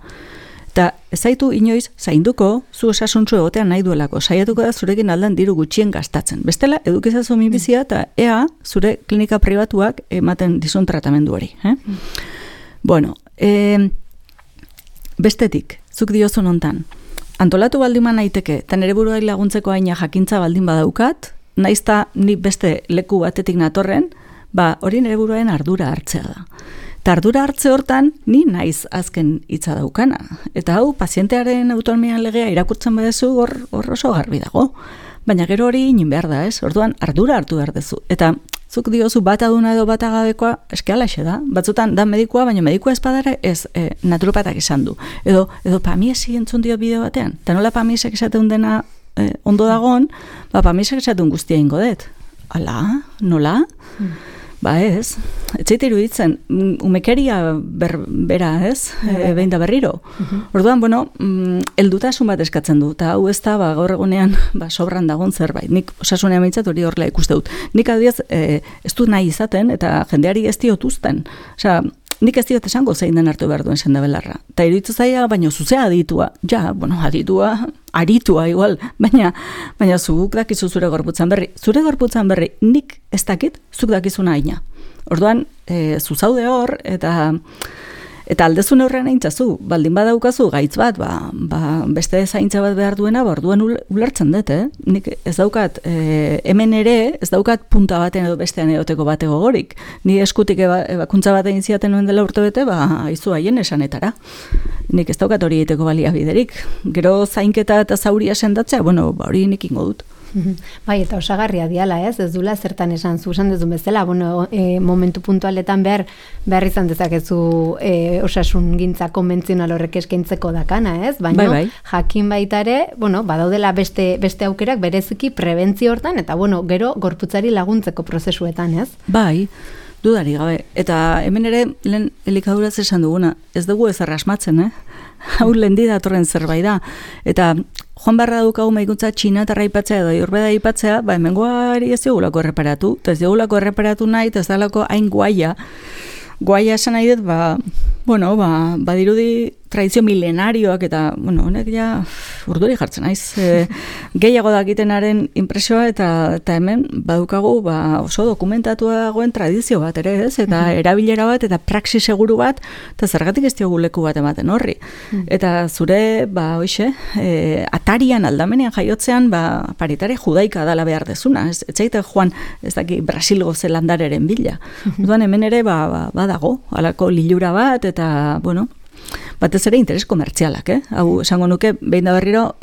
Eta ez zaitu inoiz zainduko zu osasuntzu egotean nahi duelako, saiatuko da zurekin aldan diru gutxien gastatzen. Bestela, edukizazu minbizia eta ea zure klinika pribatuak ematen dizun tratamendu hori. Bestetik, zuk diozun hontan, antolatu baldin naiteke, eta nire buruai laguntzeko aina jakintza baldin badaukat, naizta ni beste leku batetik natorren, hori nire buruaren ardura hartzea da. Eta ardura hartze hortan, ni naiz azken hitza daukana. Eta hau, pazientearen autonomian legea irakurtzen badezu hor oso garbi dago. Baina gero hori inin behar da, ez? Orduan, ardura hartu behar dezu. Eta zuk diozu bat aduna edo bat agabekoa, eske alaxe da. Batzutan da medikua, baina medikua espadara ez naturopatak izan du. Edo pamiesi entzun dio bideo batean. Eta nola pamiesek esaten dena ondo dagon, pamiesek esaten guztia ingo dut. Ala, nola? Ba ez, etxeite iruditzen, umekeria bera ez, behin da berriro. Orduan, heldutasun bat eskatzen du, eta hau ez da, gaur egunean, sobran dagoen zerbait. Nik osasunean meintzat hori horrela ikuste dut. Nik adibidez, ez du nahi izaten, eta jendeari ez diotuzten. Osea, nik ez diot esango zein den hartu behar duen sendabelarra. Eta iruditzen zaia, baina zuzea aditua. Ja, aritua igual, baina zuk dakizu zure gorputzan berri. Zure gorputzan berri nik ez dakit, zuk dakizuna aina. Orduan, zuzaude hor, eta aldezun horrean aintzazu, baldin badaukazu gaitz bat, beste zaintza bat behar duena, orduan ulertzen dut, Nik ez daukat, hemen ere, ez daukat punta baten edo bestean edoteko batego gorik. Ni eskutik ebakuntza bat egin ziaten nuen dela urte bete, aizu haien esanetara. Nik ez daukat hori egiteko baliabiderik. Gero zainketa eta zauria sendatzea, hori nik ingo dut. Bai, eta osagarria diala, ez dula zertan esan esan dezun bezala, momentu puntualetan behar izan dezakezu osasun gintza konbentzional horrek eskaintzeko dakana, ez? Baina jakin baita ere, badaudela beste aukerak bereziki prebentzio hortan, eta gero gorputzari laguntzeko prozesuetan, ez? Bai, dudari gabe. Eta hemen ere, lehen elikaduraz esan duguna, ez dugu ez arrasmatzen, hau lehendi datorren zerbait da. Eta joan barra daukagu medikuntza txinatarra aipatzea edo ayurveda aipatzea, hemengoari ez diogulako erreparatu, eta ez diogulako erreparatu nahi, eta ez dalako hain guaia esan nahi dut, badirudi tradizio milenarioak eta, honek ja urduri jartzen naiz. Gehiago dakitenaren impresioa eta hemen badukagu oso dokumentatua dagoen tradizio bat ere ez, eta erabilera bat eta praxi seguru bat, eta zergatik ez diogu leku bat ematen horri. Eta zure, atarian aldamenean jaiotzean, paritare judaika dala behar dezuna. Ez zaite joan, ez daki, Brasilgo zelandareren bila. Duan hemen ere, badago, alako lilura bat, eta, batez ere interes komertzialak, Hau, esango nuke, behin da berriro,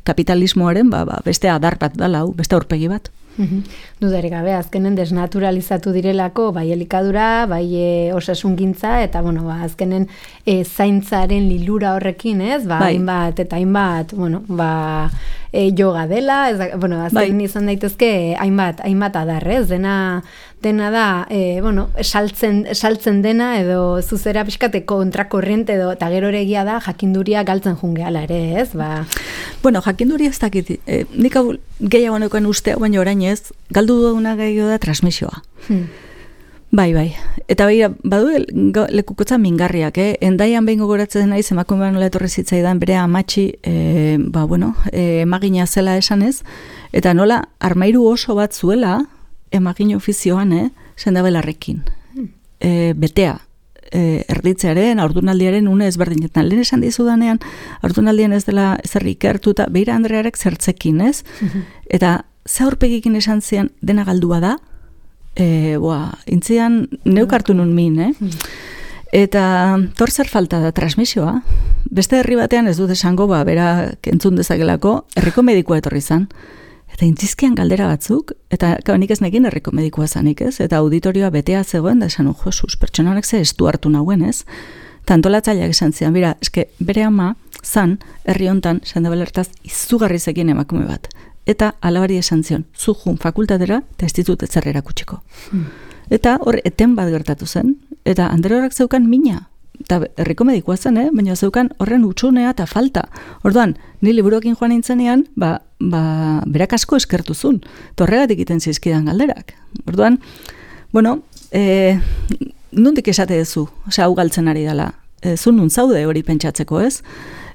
kapitalismoaren, beste adar bat dala, beste aurpegi bat. Dudarik gabe, azkenen desnaturalizatu direlako, bai elikadura, bai osasungintza, eta, azkenen zaintzaren lilura horrekin, ez? Hainbat, eta hainbat, yoga dela, azken izan daitezke hainbat adarrez, dena da, saltzen dena, edo zuzera pixkate kontrakorriente edo, eta gero egia da, jakinduria galtzen jungeala ere, ez? Jakinduria ez dakit, nik hau gehiago neuken ustea, baina orain ez, galdu duguna gehiago da transmisioa. Bai. Eta badu lekukotza mingarriak, Endaian behin gogoratzen naiz, emakumean nola etorri zitzaidan bere amatxi, emagina zela esanez, eta nola armairu oso bat zuela, emagin ofizioan, sendabelarrekin. Betea, erditzearen, aurdunaldiaren une ezberdinetan. Lehen esan dizudanean, aurdunaldian ez dela zer ikertuta, Beira Andrearek zertzekin, ez? Eta ze aurpegikin esan zian dena galdua da, intzian neukartu nun min, Eta tor zer falta da transmisioa. Beste herri batean ez dut esango, bera entzun dezakelako, herriko medikua etorri zan. Eta intzizkian galdera batzuk, eta nik ez nekin herriko medikua zanik, ez? Eta auditorioa betea zegoen, da esan, Josuz, pertsona honek ze estu hartu nauen, ez? Tantolatzaileak esan zidan, bere ama zan, herri hontan, sendabelertaz, izugarri zekin emakume bat. Eta alabari esan zion, zu jun fakultatera, eta ez ditut ez zerrera kutsiko. Eta hor, eten bat gertatu zen, eta Andere zeukan mina. Eta herriko medikua zen, baina zeukan horren utxunea eta falta. Orduan, ni liburuekin joan nintzenean, berak asko eskertuzun. Torregatik iten zizkidan galderak. Orduan, nondik esate duzu, hau galtzen ari dela. Zun nun zaude hori pentsatzeko, ez?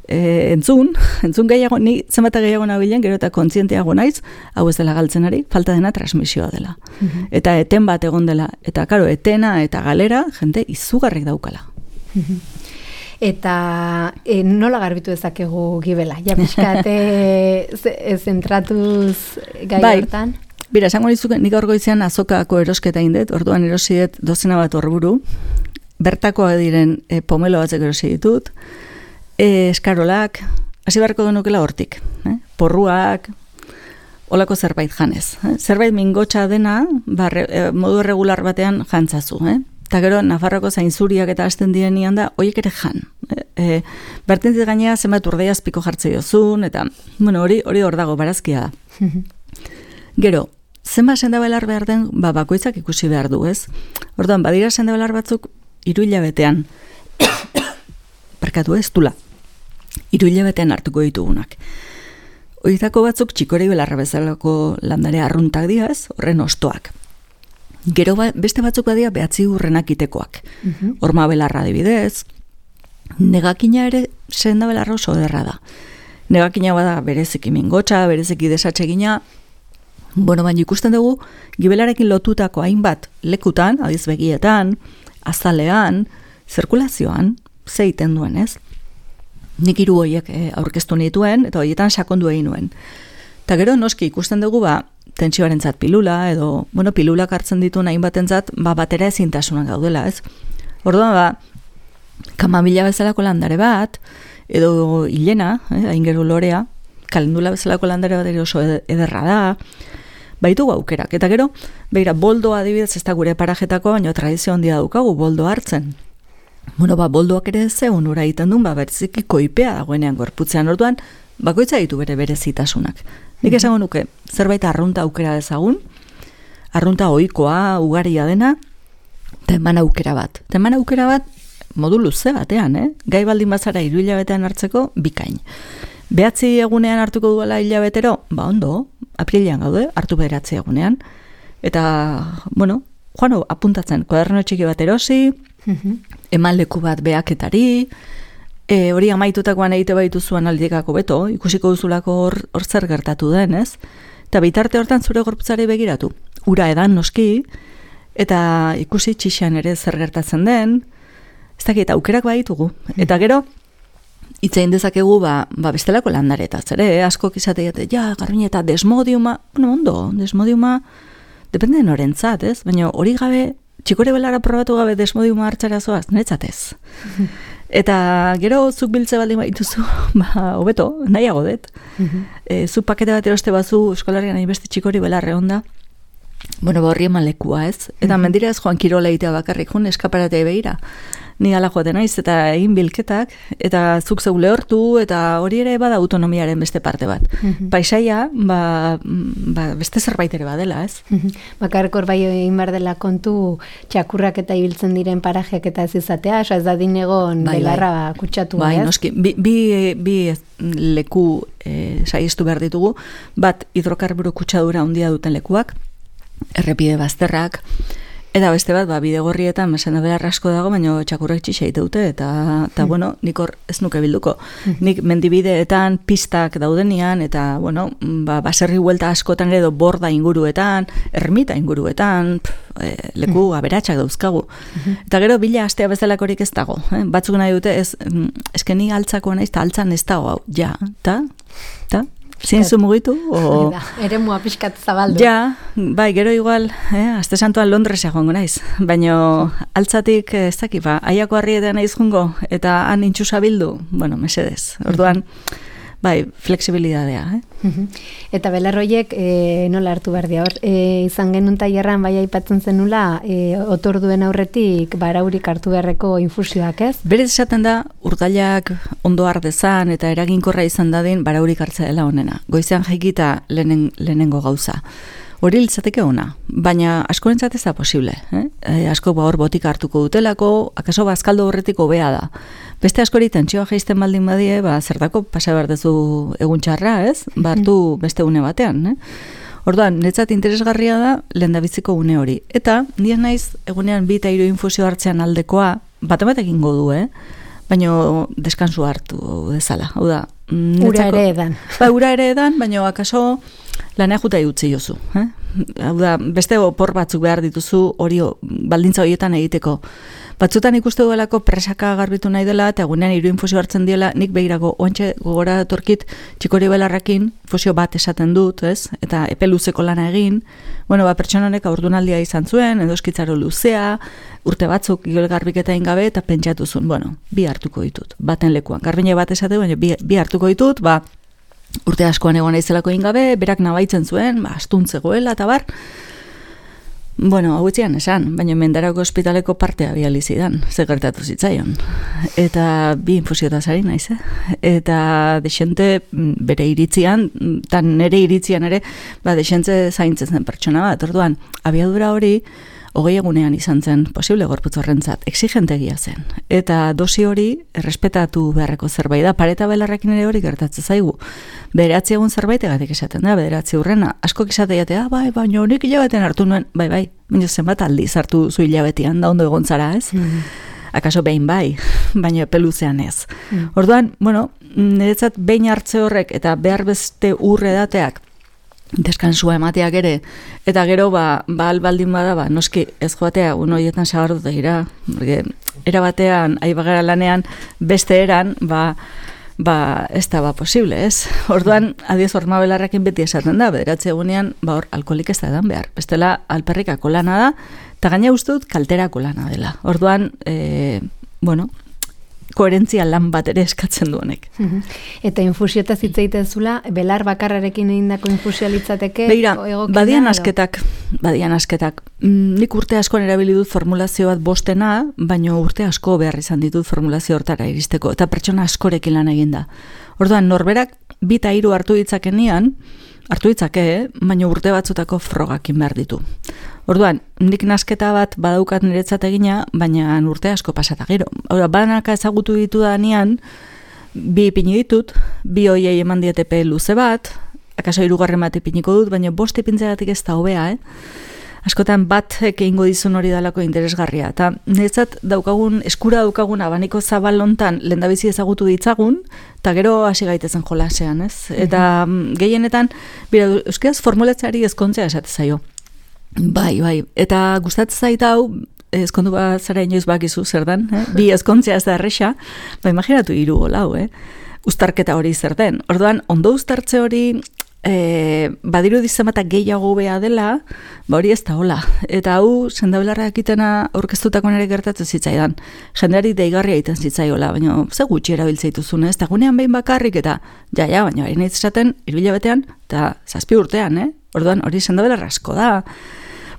Entzun gehiago, ni zenbata gehiago nabilen, gero eta kontzienteago naiz, hau ez dela galtzen ari, falta dena transmisioa dela. Eta eten bat egon dela. Eta, karo, etena eta galera, jende izugarrik daukala. Eta nola garbitu dezakegu Gibela? Ja, pixkate zentratuz gai hortan? Bira, esango nizuke, nik aurgo izan azokako erosketa indet, orduan erosidet dozena bat horburu, bertakoa diren pomelo batzek erosi ditut, eskarolak, hasi beharko denukela hortik, porruak, olako zerbait janez. Zerbait mingotxa dena, modu regular batean jantzazu. Eta gero, Nafarroko zainzuriak eta hasten direnean da, horiek ere jan. Bertentzit gainea, zenbat urdeiaz piko jartze jozun, eta, hori hor dago, barazkia da. Gero, zenbat sendabelar behar den, bakoitzak ikusi behar du, ez? Orduan, badira sendabelar batzuk, 3 hilabetean, parkatu ez, tula, 3 hilabetean hartuko ditugunak. Horietako batzuk txikori belarra bezalako landare arruntak diaz, horren ostoak. Gero beste batzuk badia behatzi urrenak itekoak. Horma belarra adibidez, negakina ere senda belarra oso derra da. Negakina bada bereziki mingotxa, bereziki desatsegina, baina ikusten dugu, gibelarekin lotutako hainbat lekutan, adiz begietan, azalean, zirkulazioan, zeiten duen, ez? Nik 3 horiek aurkeztu nituen, eta horietan sakondu egin nuen. Eta gero noski ikusten dugu, tentsioarentzat pilula, edo, pilulak hartzen ditu nahin batentzat, batera ezintasunak gaudela, ez? Orduan, kamamila bezalako landare bat, edo hilena, aingero lorea, kalendula bezalako landare bat ere oso ederra da, baitu aukerak. Eta gero, beira, boldoa adibidez, ez da gure parajetako, baina tradizio handia daukagu, boldo hartzen. Boldoak ere zeun ura egiten duen, bereziki koipea dagoenean gorputzean, orduan, bakoitza ditu berezitasunak. Nik esango nuke, zerbait arrunta aukera dezagun, arrunta ohikoa, ugaria dena, eta eman aukera bat. Eta eman aukera bat, modu luze batean, gai baldin bazara 3 hilabetean hartzeko, bikain. 9 egunean hartuko duela hilabetero, ondo, apirilean gaude, hartu 9 egunean, eta, joan apuntatzen, kuaderno txiki bat erosi, eman leku bat beaketari, hori amaitutakoan egite baitu zuen aldikako beto, ikusiko duzulako hor zer gertatu den, ez? Eta bitarte hortan zure gorputzari begiratu. Ura edan noski, eta ikusi txixan ere zer gertatzen den, ez dakit aukerak baitugu. Eta gero, itzein dezakegu bestelako landaretaz, ere, askok izateate, Garbiñe, eta desmodiuma, ondo, desmodiuma, depende norentzat, ez? Baina hori gabe, txikore belara probatu gabe desmodiuma hartzara zoaz, niretzatez. Eta gero zuk biltze baldin baituzu, hobeto, nahiago dut. Zuk pakete bat eroste bazu eskolarrian hainbeste txikori belarre onda, horri eman lekua, ez? Eta mendira ez joan kirola egitea bakarrik, joan eskaparatea begira. Ni ala joaten naiz, eta egin bilketak, eta zuk zeu lehortu, eta hori ere bada autonomiaren beste parte bat. Paisaia, beste zerbait ere badela, ez? Bakarkor bai egin behar dela kontu txakurrak eta ibiltzen diren parajeak eta ez izatea, ez da dinegon belarra kutsatu, ez? Bai, noski, bi leku saiestu behar ditugu, bat hidrokarburo kutsadura handia duten lekuak, errepide bazterrak, eta beste bat, bidegorrietan mesena belar asko dago, baina txakurrek txixa dute, eta nik hor ez nuke bilduko. Nik mendibideetan, pistak daudenean, eta, baserri huelta askotan edo borda inguruetan, ermita inguruetan, leku aberatsak dauzkagu. Eta gero, bila astea bezalakorik ez dago. Batzuk nahi dute, ezkeni altzako naiz, eta altzan ez dago, eta, zienzu mugitu? Ere mua pixkat zabaldu. Ja, gero igual, aste santuan Londresa joango naiz, baina altzatik ez daki, aiako harrietan naiz jungo, eta han intxusa bildu, mesedez. Orduan, flexibilidadea. Eta belarroiek nola hartu behar dia, izan genuen tailerran aipatzen zenula, otorduen aurretik baraurik hartu beharreko infusioak, ez? Berez esaten da, urdailak ondo ardezan eta eraginkorra izan dadin baraurik hartzea dela honena. Goizean jaikita lehenengo gauza. Hori litzateke ona, baina askorentzat ez da posible. Asko hor botika hartuko dutelako, akaso bazkaldo horretik hobea da. Beste askori tentsioa jaisten baldin badie, zertako pasa behar dezu egun txarra, ez? Hartu beste une batean. Orduan, netzat interesgarria da lehendabiziko une hori. Eta, nien naiz, egunean 2 eta 3 infusio hartzean aldekoa, bat egingo du, baina deskansu hartu dezala. Hau da, ura ere edan. Ura ere edan, baina akaso lanea juta utzi jozu. Hau da, beste opor batzuk behar dituzu hori baldintza horietan egiteko. Batzutan ikuste duelako presaka garbitu nahi dela, eta egunean 3 infusio hartzen diela, nik behirago oantxe gogora torkit txikori belarrakin infusio bat esaten dut, ez? Eta epe luzeko lana egin. Pertsona honek aurdunaldia izan zuen, edo eskitzaro luzea, urte batzuk gibel garbiketa ingabe, eta pentsatu zuen, 2 hartuko ditut, baten lekuan. Garbiñe bat esate, baina 2 hartuko ditut, urte askoan egon naizelako ingabe, berak nabaitzen zuen, astuntzegoela eta bar. Bueno, hau etzian esan, baina Mendarako ospitaleko partea bializidan, ze gertatu zitzaion. Eta bi infusiotaz ari naiz, Eta desente bere iritzian, tan nere iritzian ere, desente zaintzen zen pertsona bat. Orduan, abiadura hori, 20 egunean izan zen posible gorputz horrentzat, exigentegia zen. Eta dosi hori errespetatu beharreko zerbait da, pareta belarrekin ere hori gertatzen zaigu. 9 egun zerbait egatik esaten da, 9 urrena. Askok esate jatea, baina honik hilabetean hartu nuen, bai, baina zenbat aldiz hartu zu hilabetean, da ondo egon zara, ez? Akaso behin bai, baina peluzean ez. Orduan, bueno, niretzat behin hartze horrek eta behar beste urredateak deskansua emateak ere, eta gero albaldin bada, noski ez joatea un horietan sagarduta gira, era batean, aibagara lanean, beste eran, ez da posible, ez? Orduan, adiez hormabelarrakin beti esaten da, 9 egunean, hor, alkoholik ez da edan behar. Bestela, alperrikako lana da, eta gaina uste dut kalterako lana dela. Orduan, koherentzia lan bat ere eskatzen du honek. Eta infusiotaz hitz egitezula, belar bakarrarekin egindako infusioa litzateke? Begira, badian asketak. Nik urte askoan erabili dut formulazio bat bostena, baina urte asko behar izan ditut formulazio hortara iristeko, eta pertsona askorekin lan eginda. Orduan, norberak 2 eta 3 hartu ditzake, baina urte batzutako frogakin behar ditu. Orduan, nik nasketa bat badaukat niretzat egina, baina urte asko pasata gero. Banaka ezagutu ditu da nian, 2 ipini ditut, 2 hoiei eman dietepe luze bat, akaso 3 bat ipiniko dut, baina 5 ipintzegatik ez da hobea, Askotan bat egingo dizun hori dalako interesgarria. Eta niretzat eskura daukagun abaniko zabal hontan lehendabizi ezagutu ditzagun, eta gero hasi gaitezen jolasean, ez? Eta gehienetan, euskaraz formulatzeari ezkontzea esate zaio. Bai. Eta gustatzen zait hau, ezkondu bat zara inoiz bakizu zer den, bi ezkontzea ez da erresa, imaginatu 3 lau, uztarketa hori zer den. Orduan, ondo uztartze hori, badiru dizematak gehiago bea dela, hori ez da hola. Eta hau, sendabelarra ekitena aurkeztutako nire gertatzen zitzaidan. Jendeari deigarria egiten zitzaiola, baina ze gutxi erabiltzeituzun, ez? Eta gunean behin bakarrik, eta baina hori nahi esaten, 3 hilabetean, eta 7 urtean, Orduan, hori sendabelarra asko da.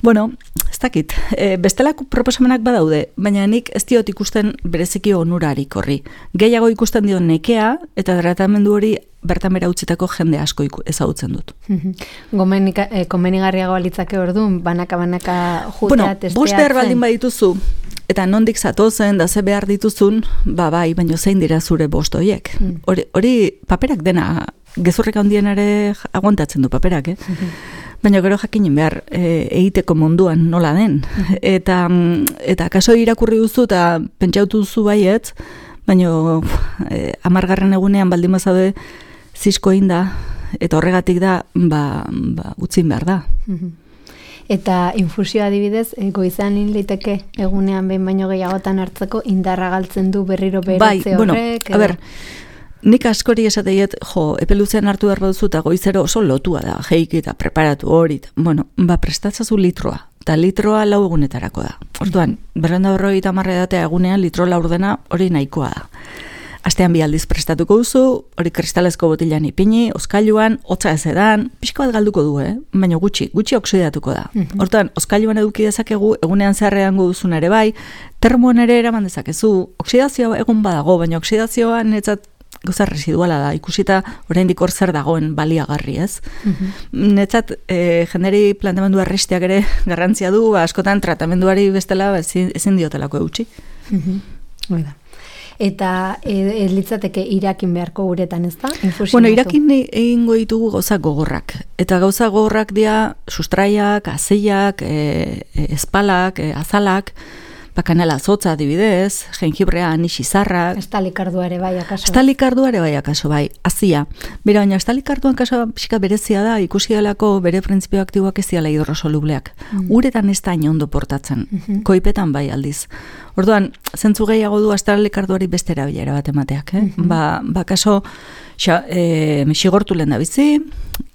Bueno, ez dakit, bestelako proposamenak badaude, baina nik ez diot ikusten bereziki onurarik horri. Gehiago ikusten dio nekea, eta tratamendu hori bertan bera utzitako jende asko ezagutzen dut. Komenigarriagoa litzake orduan, banaka jutea testeatzen. 5 behar baldin badituzu, eta nondik zatozen, da ze behar dituzun, bai, baina zein dira zure 5 horiek. Hori paperak dena, gezurrek handien ere aguantatzen du paperak, Baina gero jakinen behar egiteko munduan nola den. Eta kaso irakurri duzu eta pentsautu duzu baietz, baina 10. egunean baldin bazaude zisko inda, eta horregatik da, utzin behar da. Eta infusioa adibidez, goizan liteke egunean behin baino gehiagotan hartzeko indarra galtzen du berriro beratze horrek? Nik askori esateiet, epeluzean hartu behar duzu eta goizero oso lotua da, jeiki eta preparatu hori. Prestatzazu litroa, eta litroa 4 egunetarako da. Orduan, 250 edatea egunean litro 4 dena hori nahikoa da. Astean 2 aldiz prestatuko duzu, hori kristalezko botilan ipini, oskailuan, hotza ez edan, pixko bat galduko du, baina gutxi oksidatuko da. Hortan, oskailuan eduki dezakegu, egunean zeharrean duzun ere bai, termoan ere eraman dezakezu, oksidazioa egun badago, baina oksidazioa netzat goza residuala da, ikusita oraindik hor zer dagoen baliagarri, ez? Netzat, jenderi planteamendu arrestiak ere garrantzia du, askotan tratamenduari bestela ezin diotelako eutxi. Eta litzateke irakin beharko uretan, ez da? Irakin egingo ditugu gauza gogorrak. Eta gauza gogorrak dira sustraiak, azeiak, espalak, azalak, kanela zotza adibidez, jengibrea, anixizarrak. Estalikardua ere bai akaso. Estalikardua ere bai akaso bai, azia. Bera, baina estalikarduan kaso pixka berezia da, ikusi delako bere printzipio aktiboak ez diala hidrosolubleak. Uretan ez da ondo portatzen, koipetan bai aldiz. Orduan, zentzu gehiago du estalikarduari beste erabilera bat emateak. Kaso, xigortu lehen da bizi,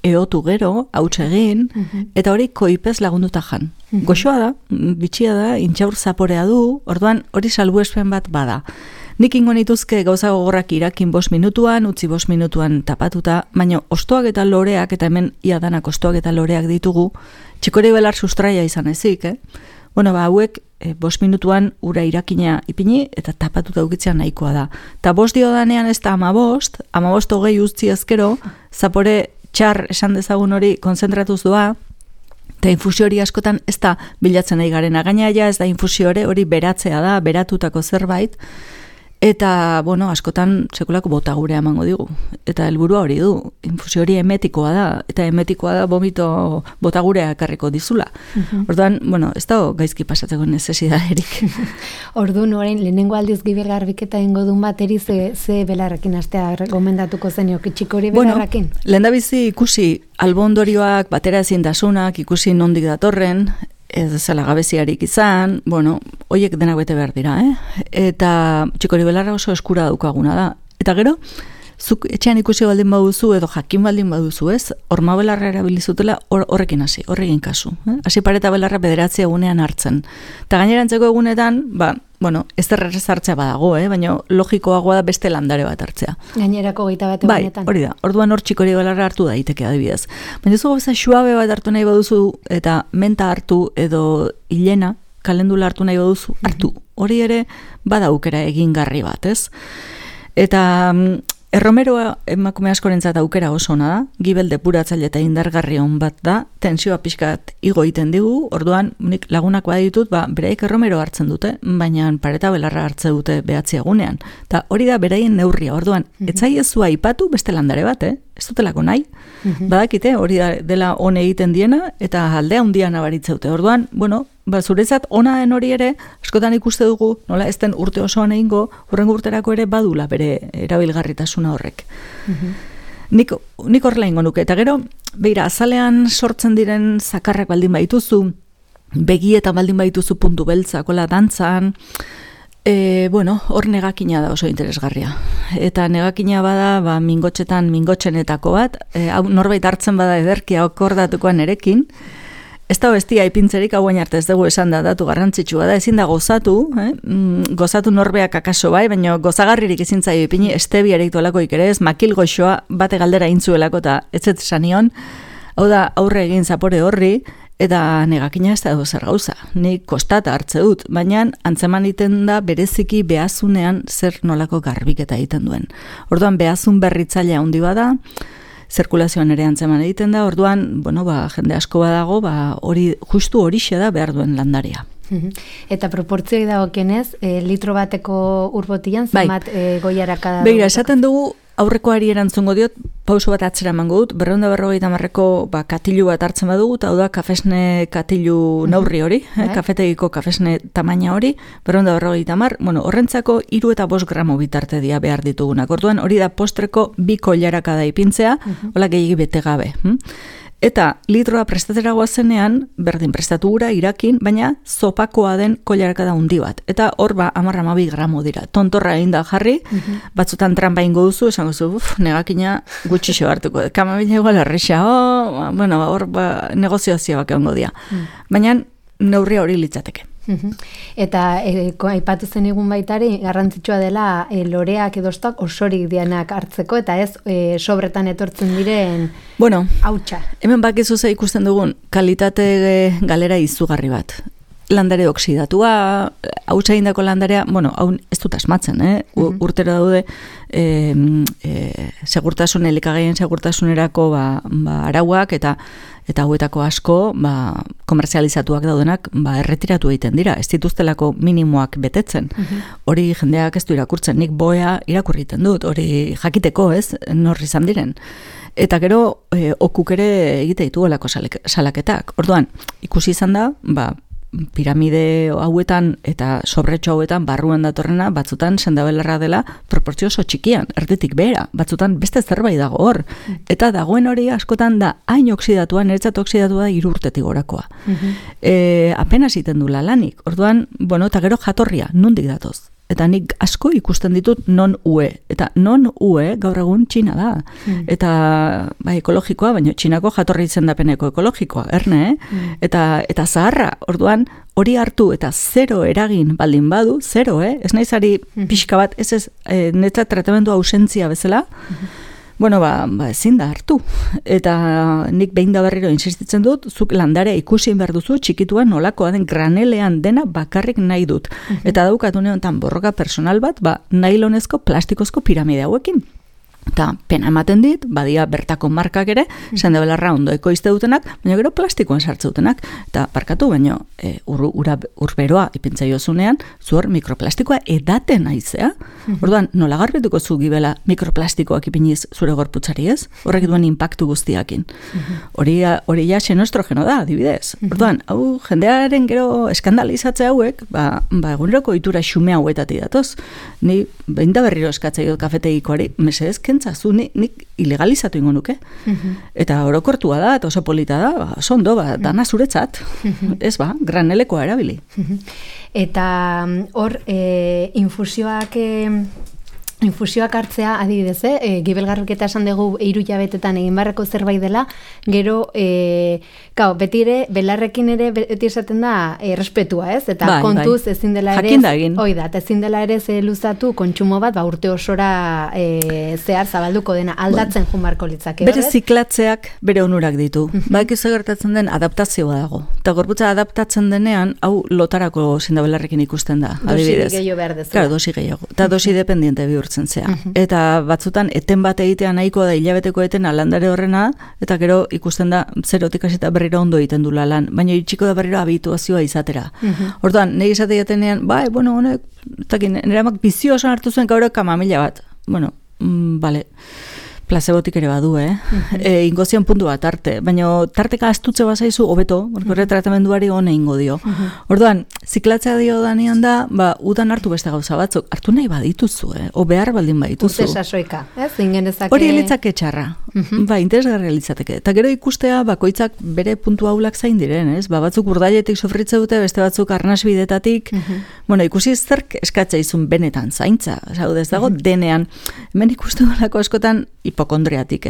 eotu gero, hautsa egin, eta hori koipez lagunduta jan. Goxoa da, bitxia da, intxaur zaporea du, orduan hori salbuespen bat bada. Nik ingo nituzke gauza gogorrak irakin 5 minutuan, utzi 5 minutuan tapatuta, baina ostoak eta loreak, eta hemen iadanak ostoak eta loreak ditugu, txikori belar sustraia izan ezik, Bueno, hauek 5 minutuan ura irakina ipini eta tapatuta ukitzea nahikoa da. Ta 5 diodanean ez da 15, 15 utzi ezkero, zapore txar esan dezagun hori konzentratuz doa, eta infusio hori askotan ez da bilatzen nahi garena. Gaina ja ez da infusio hori beratzea da, beratutako zerbait, eta, bueno, askotan sekulako botagurea emango digu. Eta helburua hori du, infusio hori emetikoa da, eta emetikoa da vomito botagurea ekarriko dizula. Orduan, bueno, ez da gaizki pasatzeko necesidadarik. Orduan, orain, lehenengo aldiz Gibel garbiketa ingo dun bateri ze belarrekin astea gomendatuko zenio, txikori belarrekin? Bueno, lehendabizi ikusi albondorioak, batera ezintasunak, ikusi nondik datorren, ez zela gabeziarik izan, bueno, hoiek denak bete behar dira, Eta txikori belarra oso eskura daukaguna da. Eta gero, zuk etxean ikusi baldin baduzu, edo jakin baldin baduzu, horma belarra erabilizutela horrekin hasi, horrekin kasu. Hasi pareta belarra bederatzi egunean hartzen. Eta gainerantzeko egunetan, bueno, ez hartzea badago, baina logikoagoa da beste landare bat hartzea. Gainerako 21 egunetan. Bai, hori da. Orduan hor txikori belarra hartu daiteke adibidez. Baina zu gauza suabe bat hartu nahi baduzu, eta menta hartu edo hilena, kalendula hartu nahi baduzu, hartu. Hori ere badaukera egingarri bat, Eta erromeroa emakume askorentzat aukera oso ona da, Gibel depuratzaile eta indargarri on bat da, tensioa pixkat igo egiten digu, orduan nik lagunak baditut, beraik erromero hartzen dute, baina pareta belarra hartze dute 9 egunean. Eta hori da beraien neurria, orduan, etzaiezu aipatu beste landare bat, ez dutelako nahi, badakite, hori dela on egiten diena, eta aldea handia nabaritze dute. Orduan, bueno, zuretzat ona den hori ere, askotan ikuste dugu, nola ez den urte osoan egingo, hurrengo urterako ere badula bere erabilgarritasuna horrek. Nik horrela ingo nuke, eta gero, beira, azalean sortzen diren zakarrak baldin baituzu, begietan baldin baituzu puntu beltzak, hola dantzan, bueno, hor negakina da oso interesgarria. Eta negakina bada, mingotxenetako bat, norbait hartzen bada ederkia okordatukoan erekin, ez da bestia ipintzerik hauen arte ez dugu esan da datu garrantzitsua da, ezin da gozatu, gozatu norbeak akaso bai, baina gozagarririk ezin zaio ipini, estebiarik dolakoik ere ez, makil goxoa bate galdera intzuelako eta etzet sanion, hau da aurre egin zapore horri, eta negakina ez da zer gauza, nik kostata hartze dut, baina antzeman iten da bereziki behazunean zer nolako garbiketa egiten duen. Orduan behazun berritzailea handi bada, zirkulazioan ere antzeman egiten da, orduan, bueno, jende asko badago, hori justu horixe da behar duen landaria. Eta proportzioi dagokienez, litro bateko urbotian, zenbat goiaraka da? Begira, esaten dugu, aurrekoari erantzungo diot, pauso bat atzera emango dut, 250 katilu bat hartzen badugu, eta hau da kafesne katilu naurri hori, kafetegiko kafesne tamaina hori, 250, bueno, horrentzako 3 eta 5 gramo bitarte dia behar ditugunak. Orduan hori da postreko 2 koilaraka da ipintzea, hola gehiagi bete gabe. Eta litroa prestatera goazenean, berdin prestatu gura, irakin, baina zopakoa den koilaraka da hundi bat. Eta hor 10-12 gramo dira. Tontorra egin da jarri, batzutan trampa ingo duzu, esango zu, negakina gutxixo hartuko. Kamabila igual erresa, bueno, hor negoziazioak egongo dira. Baina neurria hori litzateke. Eta aipatu zen egun baitari garrantzitsua dela loreak edostak osorik dianak hartzeko eta ez sobretan etortzen diren hautsa. Hemen bakizu ze ikusten dugun kalitate galera izugarri bat. Landare oksidatua, hautsa egindako landarea, bueno, hau ez dut asmatzen, urtero daude segurtasun, elikagaien segurtasunerako arauak eta hauetako asko komerzializatuak daudenak erretiratu egiten dira, ez dituztelako minimoak betetzen. Hori jendeak ez du irakurtzen, nik boea irakurriten dut, hori jakiteko, ez, nor izan diren. Eta gero okuk ere egite dituelako salaketak. Orduan, ikusi izan da, piramide hauetan eta sobretxo hauetan barruan datorrena batzutan sendabelarra dela proportzio oso txikian, erditik behera, batzutan beste zerbait dago hor. Eta dagoen hori askotan da hain oksidatua, niretzat oksidatua da 3 urtetik gorakoa. Apenas iten du lanik. Orduan, bueno, eta gero jatorria, nondik datoz? eta nik asko ikusten ditut non-UE, eta non-UE gaur egun Txina da, eta ekologikoa, baina Txinako jatorri izendapeneko ekologikoa, erne, eta zaharra, orduan, hori hartu eta zero eragin baldin badu, zero, ez naizari pixka bat, ez netzat tratamendu ausentzia bezala, bueno, ezin da hartu. Eta nik behin da berriro insistitzen dut, zuk landarea ikusi behar duzu, txikituan nolakoa den granelean dena bakarrik nahi dut. Eta daukatu neontan borroka personal bat, nailonezko, plastikozko piramide hauekin. Eta pena ematen dit, badia bertako markak ere, sendabelarra ondo ekoizte dutenak, baina gero plastikoan sartze dutenak. Eta barkatu, baina urberoa ipintza jozunean, zuhor mikroplastikoa edaten aizea. Orduan, nola garbituko zu gibela mikroplastikoak ipiniz zure gorputzari ez? Horrek duen inpaktu guztiakin. Hori ja xenoestrogeno da, adibidez. Orduan, hau jendearen gero eskandalizatze hauek, eguneroko ohitura xume hauetatik datoz. Ni behin da berriro eskatzea kafetegikoari, mesedez kentzazu, nik ilegalizatu ingo nuke. Eta orokortua da, eta oso polita da, oso ondo, dana zuretzat. Ez granelekoa erabili. Eta hor, infusioak hartzea, adibidez, gibelgarruketa esan dugu 3 hilabetetan egin barrako zerbait dela, gero, beti ere, belarrekin ere beti esaten da errespetua, ez? Eta kontuz ezin dela ere, ezin dela ere luzatu kontsumo bat, urte osora zehar zabalduko dena, aldatzen junbarko litzake. Bere ziklatzeak bere onurak ditu. Bakizu gertatzen den adaptazioa dago. Eta gorputza adaptatzen denean, hau lotarako zindabelarrekin ikusten da. Dosi gehiago behar dezu. Claro, dosi gehiago. Eta dosi dependiente bihurtzen zea. Eta batzutan eten bat egitea nahikoa da hilabeteko etena landare horrena, eta gero ikusten da zerotik hasita berriro ondo egiten dula lan, baina itxiko da berriro habituazioa izatera. Orduan, nahi esate jatenean, honek, nire amak bizio oso hartu zuen gaur kamamila bat. Bueno, bale, placebotik ere badu, ingozion puntu bat arte, baina tarteka astutze bazaizu hobeto, horre tratamenduari hone ingo dio. Orduan, ziklatzea dio danean da, udan hartu beste gauza batzuk, hartu nahi badituzu, o behar baldin badituzu. Urte sasoika, ez? Ingenezake... Hori elitzake txarra, interesgarria elitzateke. Eta gero ikustea, bakoitzak bere puntu haulak zain diren, ez? Batzuk urdailetik sofritze dute, beste batzuk arnasbidetatik, ikusi zerk eskatzea izun benetan zaintza, ez dago denean, hemen ikustu dolako askotan hipokondriatik,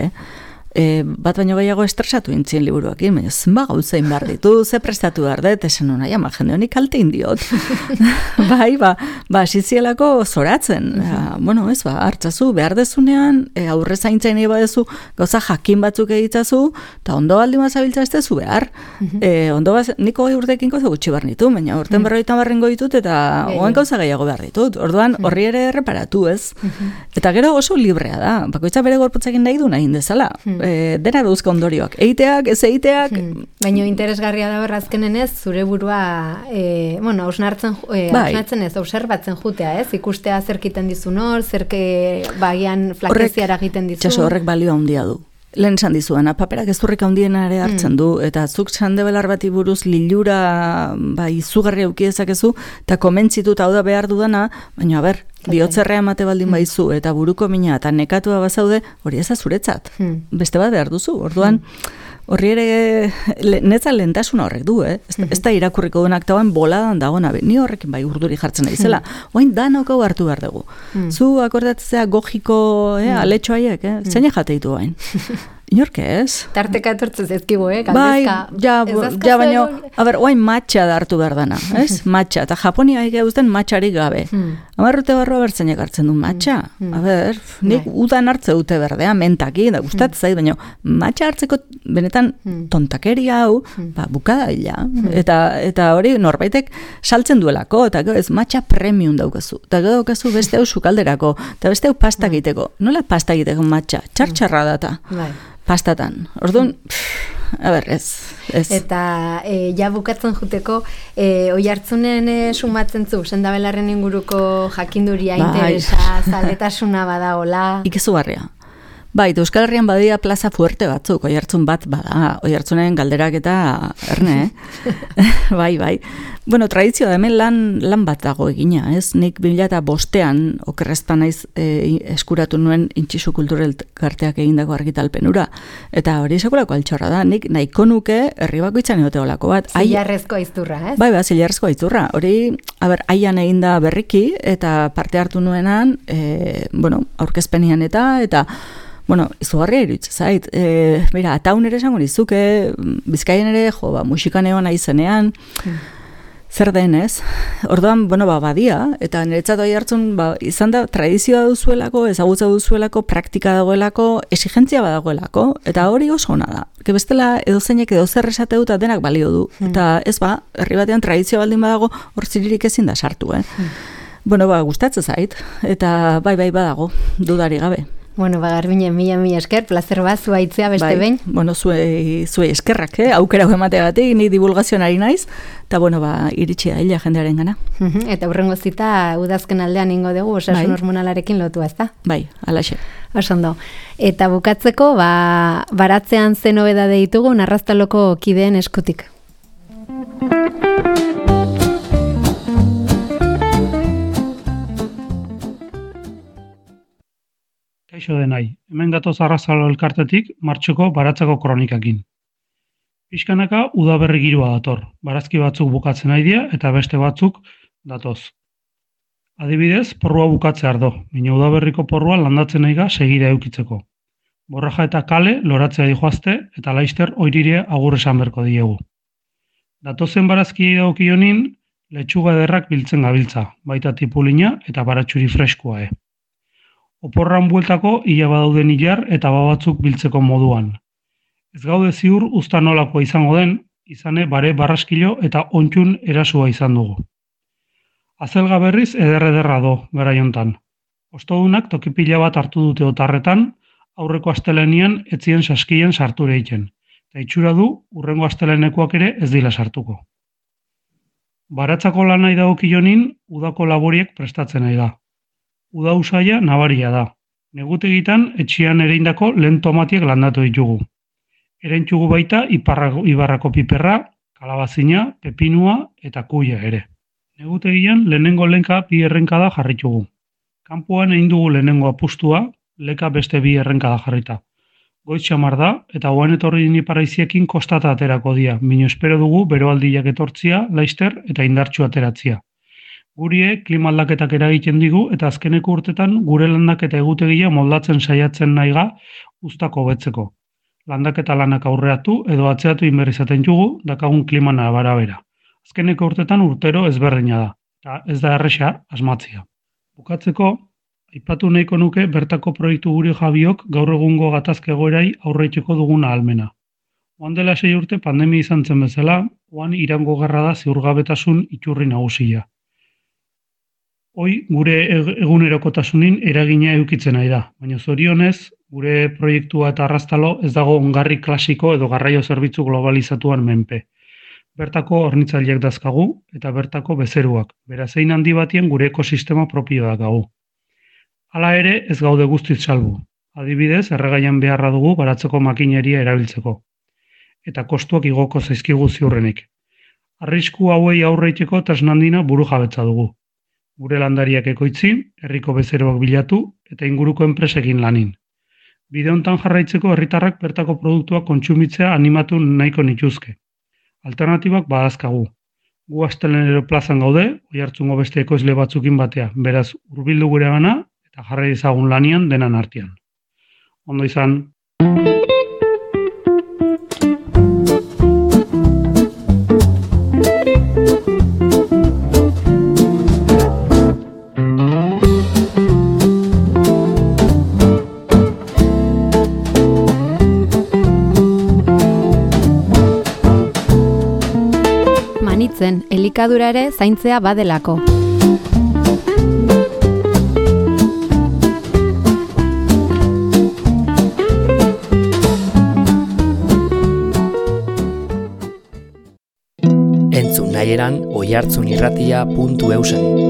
bat baino gehiago estresatu intzien liburuakin, baina zenba gauzein behar ditu, ze prestatu behar dut, esan hona, jende honik kalte indiot. Asizielako zoratzen. Hartzazu, behar dezunean, aurre zaintzain badezu, gauza jakin batzuk egitzazu, eta ondo baldin bazabiltza ez dezu behar. Niko gai urtekin gauza gutxi behar nitu, baina urten 50 ditut, eta oen gauza gehiago behar ditut. Orduan, horri ere reparatu ez. Eta gero oso librea da, bakoitza bere gorputzekin nahi du nahi dezala. Dena duzka ondorioak. Eiteak, ez eiteak... Baina interesgarria da berrazkenen ez, zure burua, hausnartzen ez, observatzen jutea ez, ikustea zerkiten dizu nor, bagian flakeziara egiten dizu. Horrek balioa handia du. Lehen esan dizuena, paperak ezurrik handiena ere hartzen du, eta zuk sandebelar bati buruz lilura izugarri aukidezakezu, eta komentzituta hau da behar dudana, baina bihotzerrea emate baldin baizu, eta buruko mina, eta nekatua bazaude, hori ez azuretzat. Beste bat behar duzu, orduan, horri ere, netza lehentasuna horrek du, ez da irakurriko duenak tauen boladan dagoena, ni horrekin urduri jartzen naizela, oain danok hau hartu behar dugu. Zu akordatzea gogiko aletxo haiek, zein jate ditu bain. Inork ez? Tarteka etortzen zezkibu, galdezka. Baina, oain matxa da hartu behar dana, ez? Matxa, eta Japonia egiten matxarik gabe. Amarrute barroa bertzainak hartzen du matxa. Nik udan hartze dute berdea, mentaki, da gustatzen zait, baina matxa hartzeko benetan tontakeria hau, bukada hila. Eta hori norbaitek saltzen duelako, eta ez matxa premium daukazu. Eta daukazu beste hau sukalderako, eta beste hau pasta egiteko. Nola pasta egiteko matxa? Txartxarra data. Pastatan. Orduan, ez. Eta ja bukatzen juteko, oi hartzunen sumatzen zu, sendabelarren inguruko jakinduria, interesa, zaletasuna badagola. Ikezugarria. Bai, Euskal Herrian badia plaza fuerte batzuk, Oiartzun bat bada, Oiartzunen galderak eta erne, bai. Bueno, tradizioa hemen lan bat dago egina, ez? Nik 2005an okerrezpan naiz eskuratu nuen Intxisu Kulturel Elkarteak egindako argitalpenura, eta hori sekulako altxorra da, nik nahiko nuke herri bakoitzan egoteolako bat. Zilarrezko aizturra, ez? Bai, zilarrezko aizturra. Hori, aian eginda berriki, eta parte hartu nuenan, aurkezpenian eta izugarria iruditzen zait. Mira, ataun ere esango nizuke, Bizkaian ere, musikan egon aizenean, zer den, ez? Orduan, badia, eta niretzat Oiartzun, izan da, tradizioa duzuelako, ezagutza duzuelako, praktika dagoelako, exigentzia badagoelako, eta hori oso ona da. Bestela, edozeinek edozer esate dut, denak balio du. Eta ez herri batean tradizioa baldin badago, hor ziririk ezin da sartu, gustatzen zait, eta bai badago, dudari gabe. Garbine, mila esker, plazer bat, zua itzea beste behin. Zuei eskerrak, aukera emateagatik, ni divulgazioan ari naiz, eta iritsi da hila jendearen gana. Eta hurrengo zita, udazken aldean ingo dugu, osasun hormonalarekin lotua, ez da? Bai, alaxe. Osondo. Eta bukatzeko, baratzean zen hobeda ditugu, Narraztaloko kideen eskutik. Kaixo denai, hemen gatoz Arraztalo elkartetik martxoko baratzeko kronikakin. Pixkanaka udaberri giroa dator, barazki batzuk bukatzen nahi dira eta beste batzuk datoz. Adibidez, porrua bukatze ardo, baina udaberriko porrua landatzen nahi segida eukitzeko. Borraja eta kale loratzea dijoazte eta laister oirire agur esan berko diegu. Datozen barazkiei dagokionin, letxuga ederrak biltzen gabiltza, baita tipulina eta baratxuri freskoa. Oporran bueltako ia badauden hilar eta babatzuk biltzeko moduan. Ez gaude ziur usta nolakoa izango den, izane bare barraskilo eta ontxun erasua izan dugu. Azelga berriz ederra do, garaiontan. Ostodunak tokipila bat hartu dute otarretan, aurreko astelenian etzien saskien sarture egiten. Eta itxura du, urrengo astelenekoak ere ez dila sartuko. Baratzako lanai dagokionin, udako laboriek prestatzen nahi da. Uda usaia nabaria da. Negutegitan etxian ereindako lehen tomatiek landatu ditugu. Erentxugu baita ibarrako piperra, kalabazina, pepinua eta kuia ere. Negutegian lehenengo lenka bi errenkada jarritugu. Kanpoan egin dugu lehenengo apustua, leka beste bi errenkada jarrita. Goiz xamar da eta oan etorri iniparraiziekin kostata aterako dia, mino espero dugu beroaldiak etortzia, laister eta indartxu ateratzia. Gurie klima aldaketak eragiten digu eta azkeneko urtetan gure landaketa egutegia moldatzen saiatzen nahiga uztako hobetzeko. Landaketa lanak aurreatu edo atzeatu inberrizaten jugu dakagun klimana barabera. Azkeneko urtetan urtero ezberdina da, eta ez da erresa asmatzia. Bukatzeko, aipatu nahiko nuke bertako proiektu guri jabiok gaur egungo gatazke egoerai aurreitzeko duguna ahalmena. Oan dela 6 urte pandemia izan zen bezala, oan Irango gerra da ziurgabetasun iturri nagusia. Hoi gure egunerokotasunin eragina edukitzen nahi da, baina zorionez, gure proiektua eta Arraztalo ez dago ongarri klasiko edo garraio zerbitzu globalizatuan menpe. Bertako hornitzaileak dazkagu eta bertako bezeruak, beraz hein handi batien gure ekosistema propio dakagu. Hala ere ez gaude guztiz salbu. Adibidez, erregaian beharra dugu baratzeko makineria erabiltzeko. Eta kostuak igoko zaizkigu ziurrenik. Arrisku hauei aurreiteko tresnandina buru jabetza dugu. Gure landariak ekoitzi, herriko bezeroak bilatu eta inguruko enpresekin lanin. Bide hontan jarraitzeko herritarrak bertako produktuak kontsumitzea animatu nahiko nituzke. Alternatibak badazkagu. Gu Astelenero plazan gaude, Oiartzungo beste ekoizle batzukin batea, beraz hurbildu gure gana eta jarrai ezagun lanian denan artean. Ondo izan. Elikadura ere zaintzea badelako. Entzun nahieran oiartzunirratia.eusen.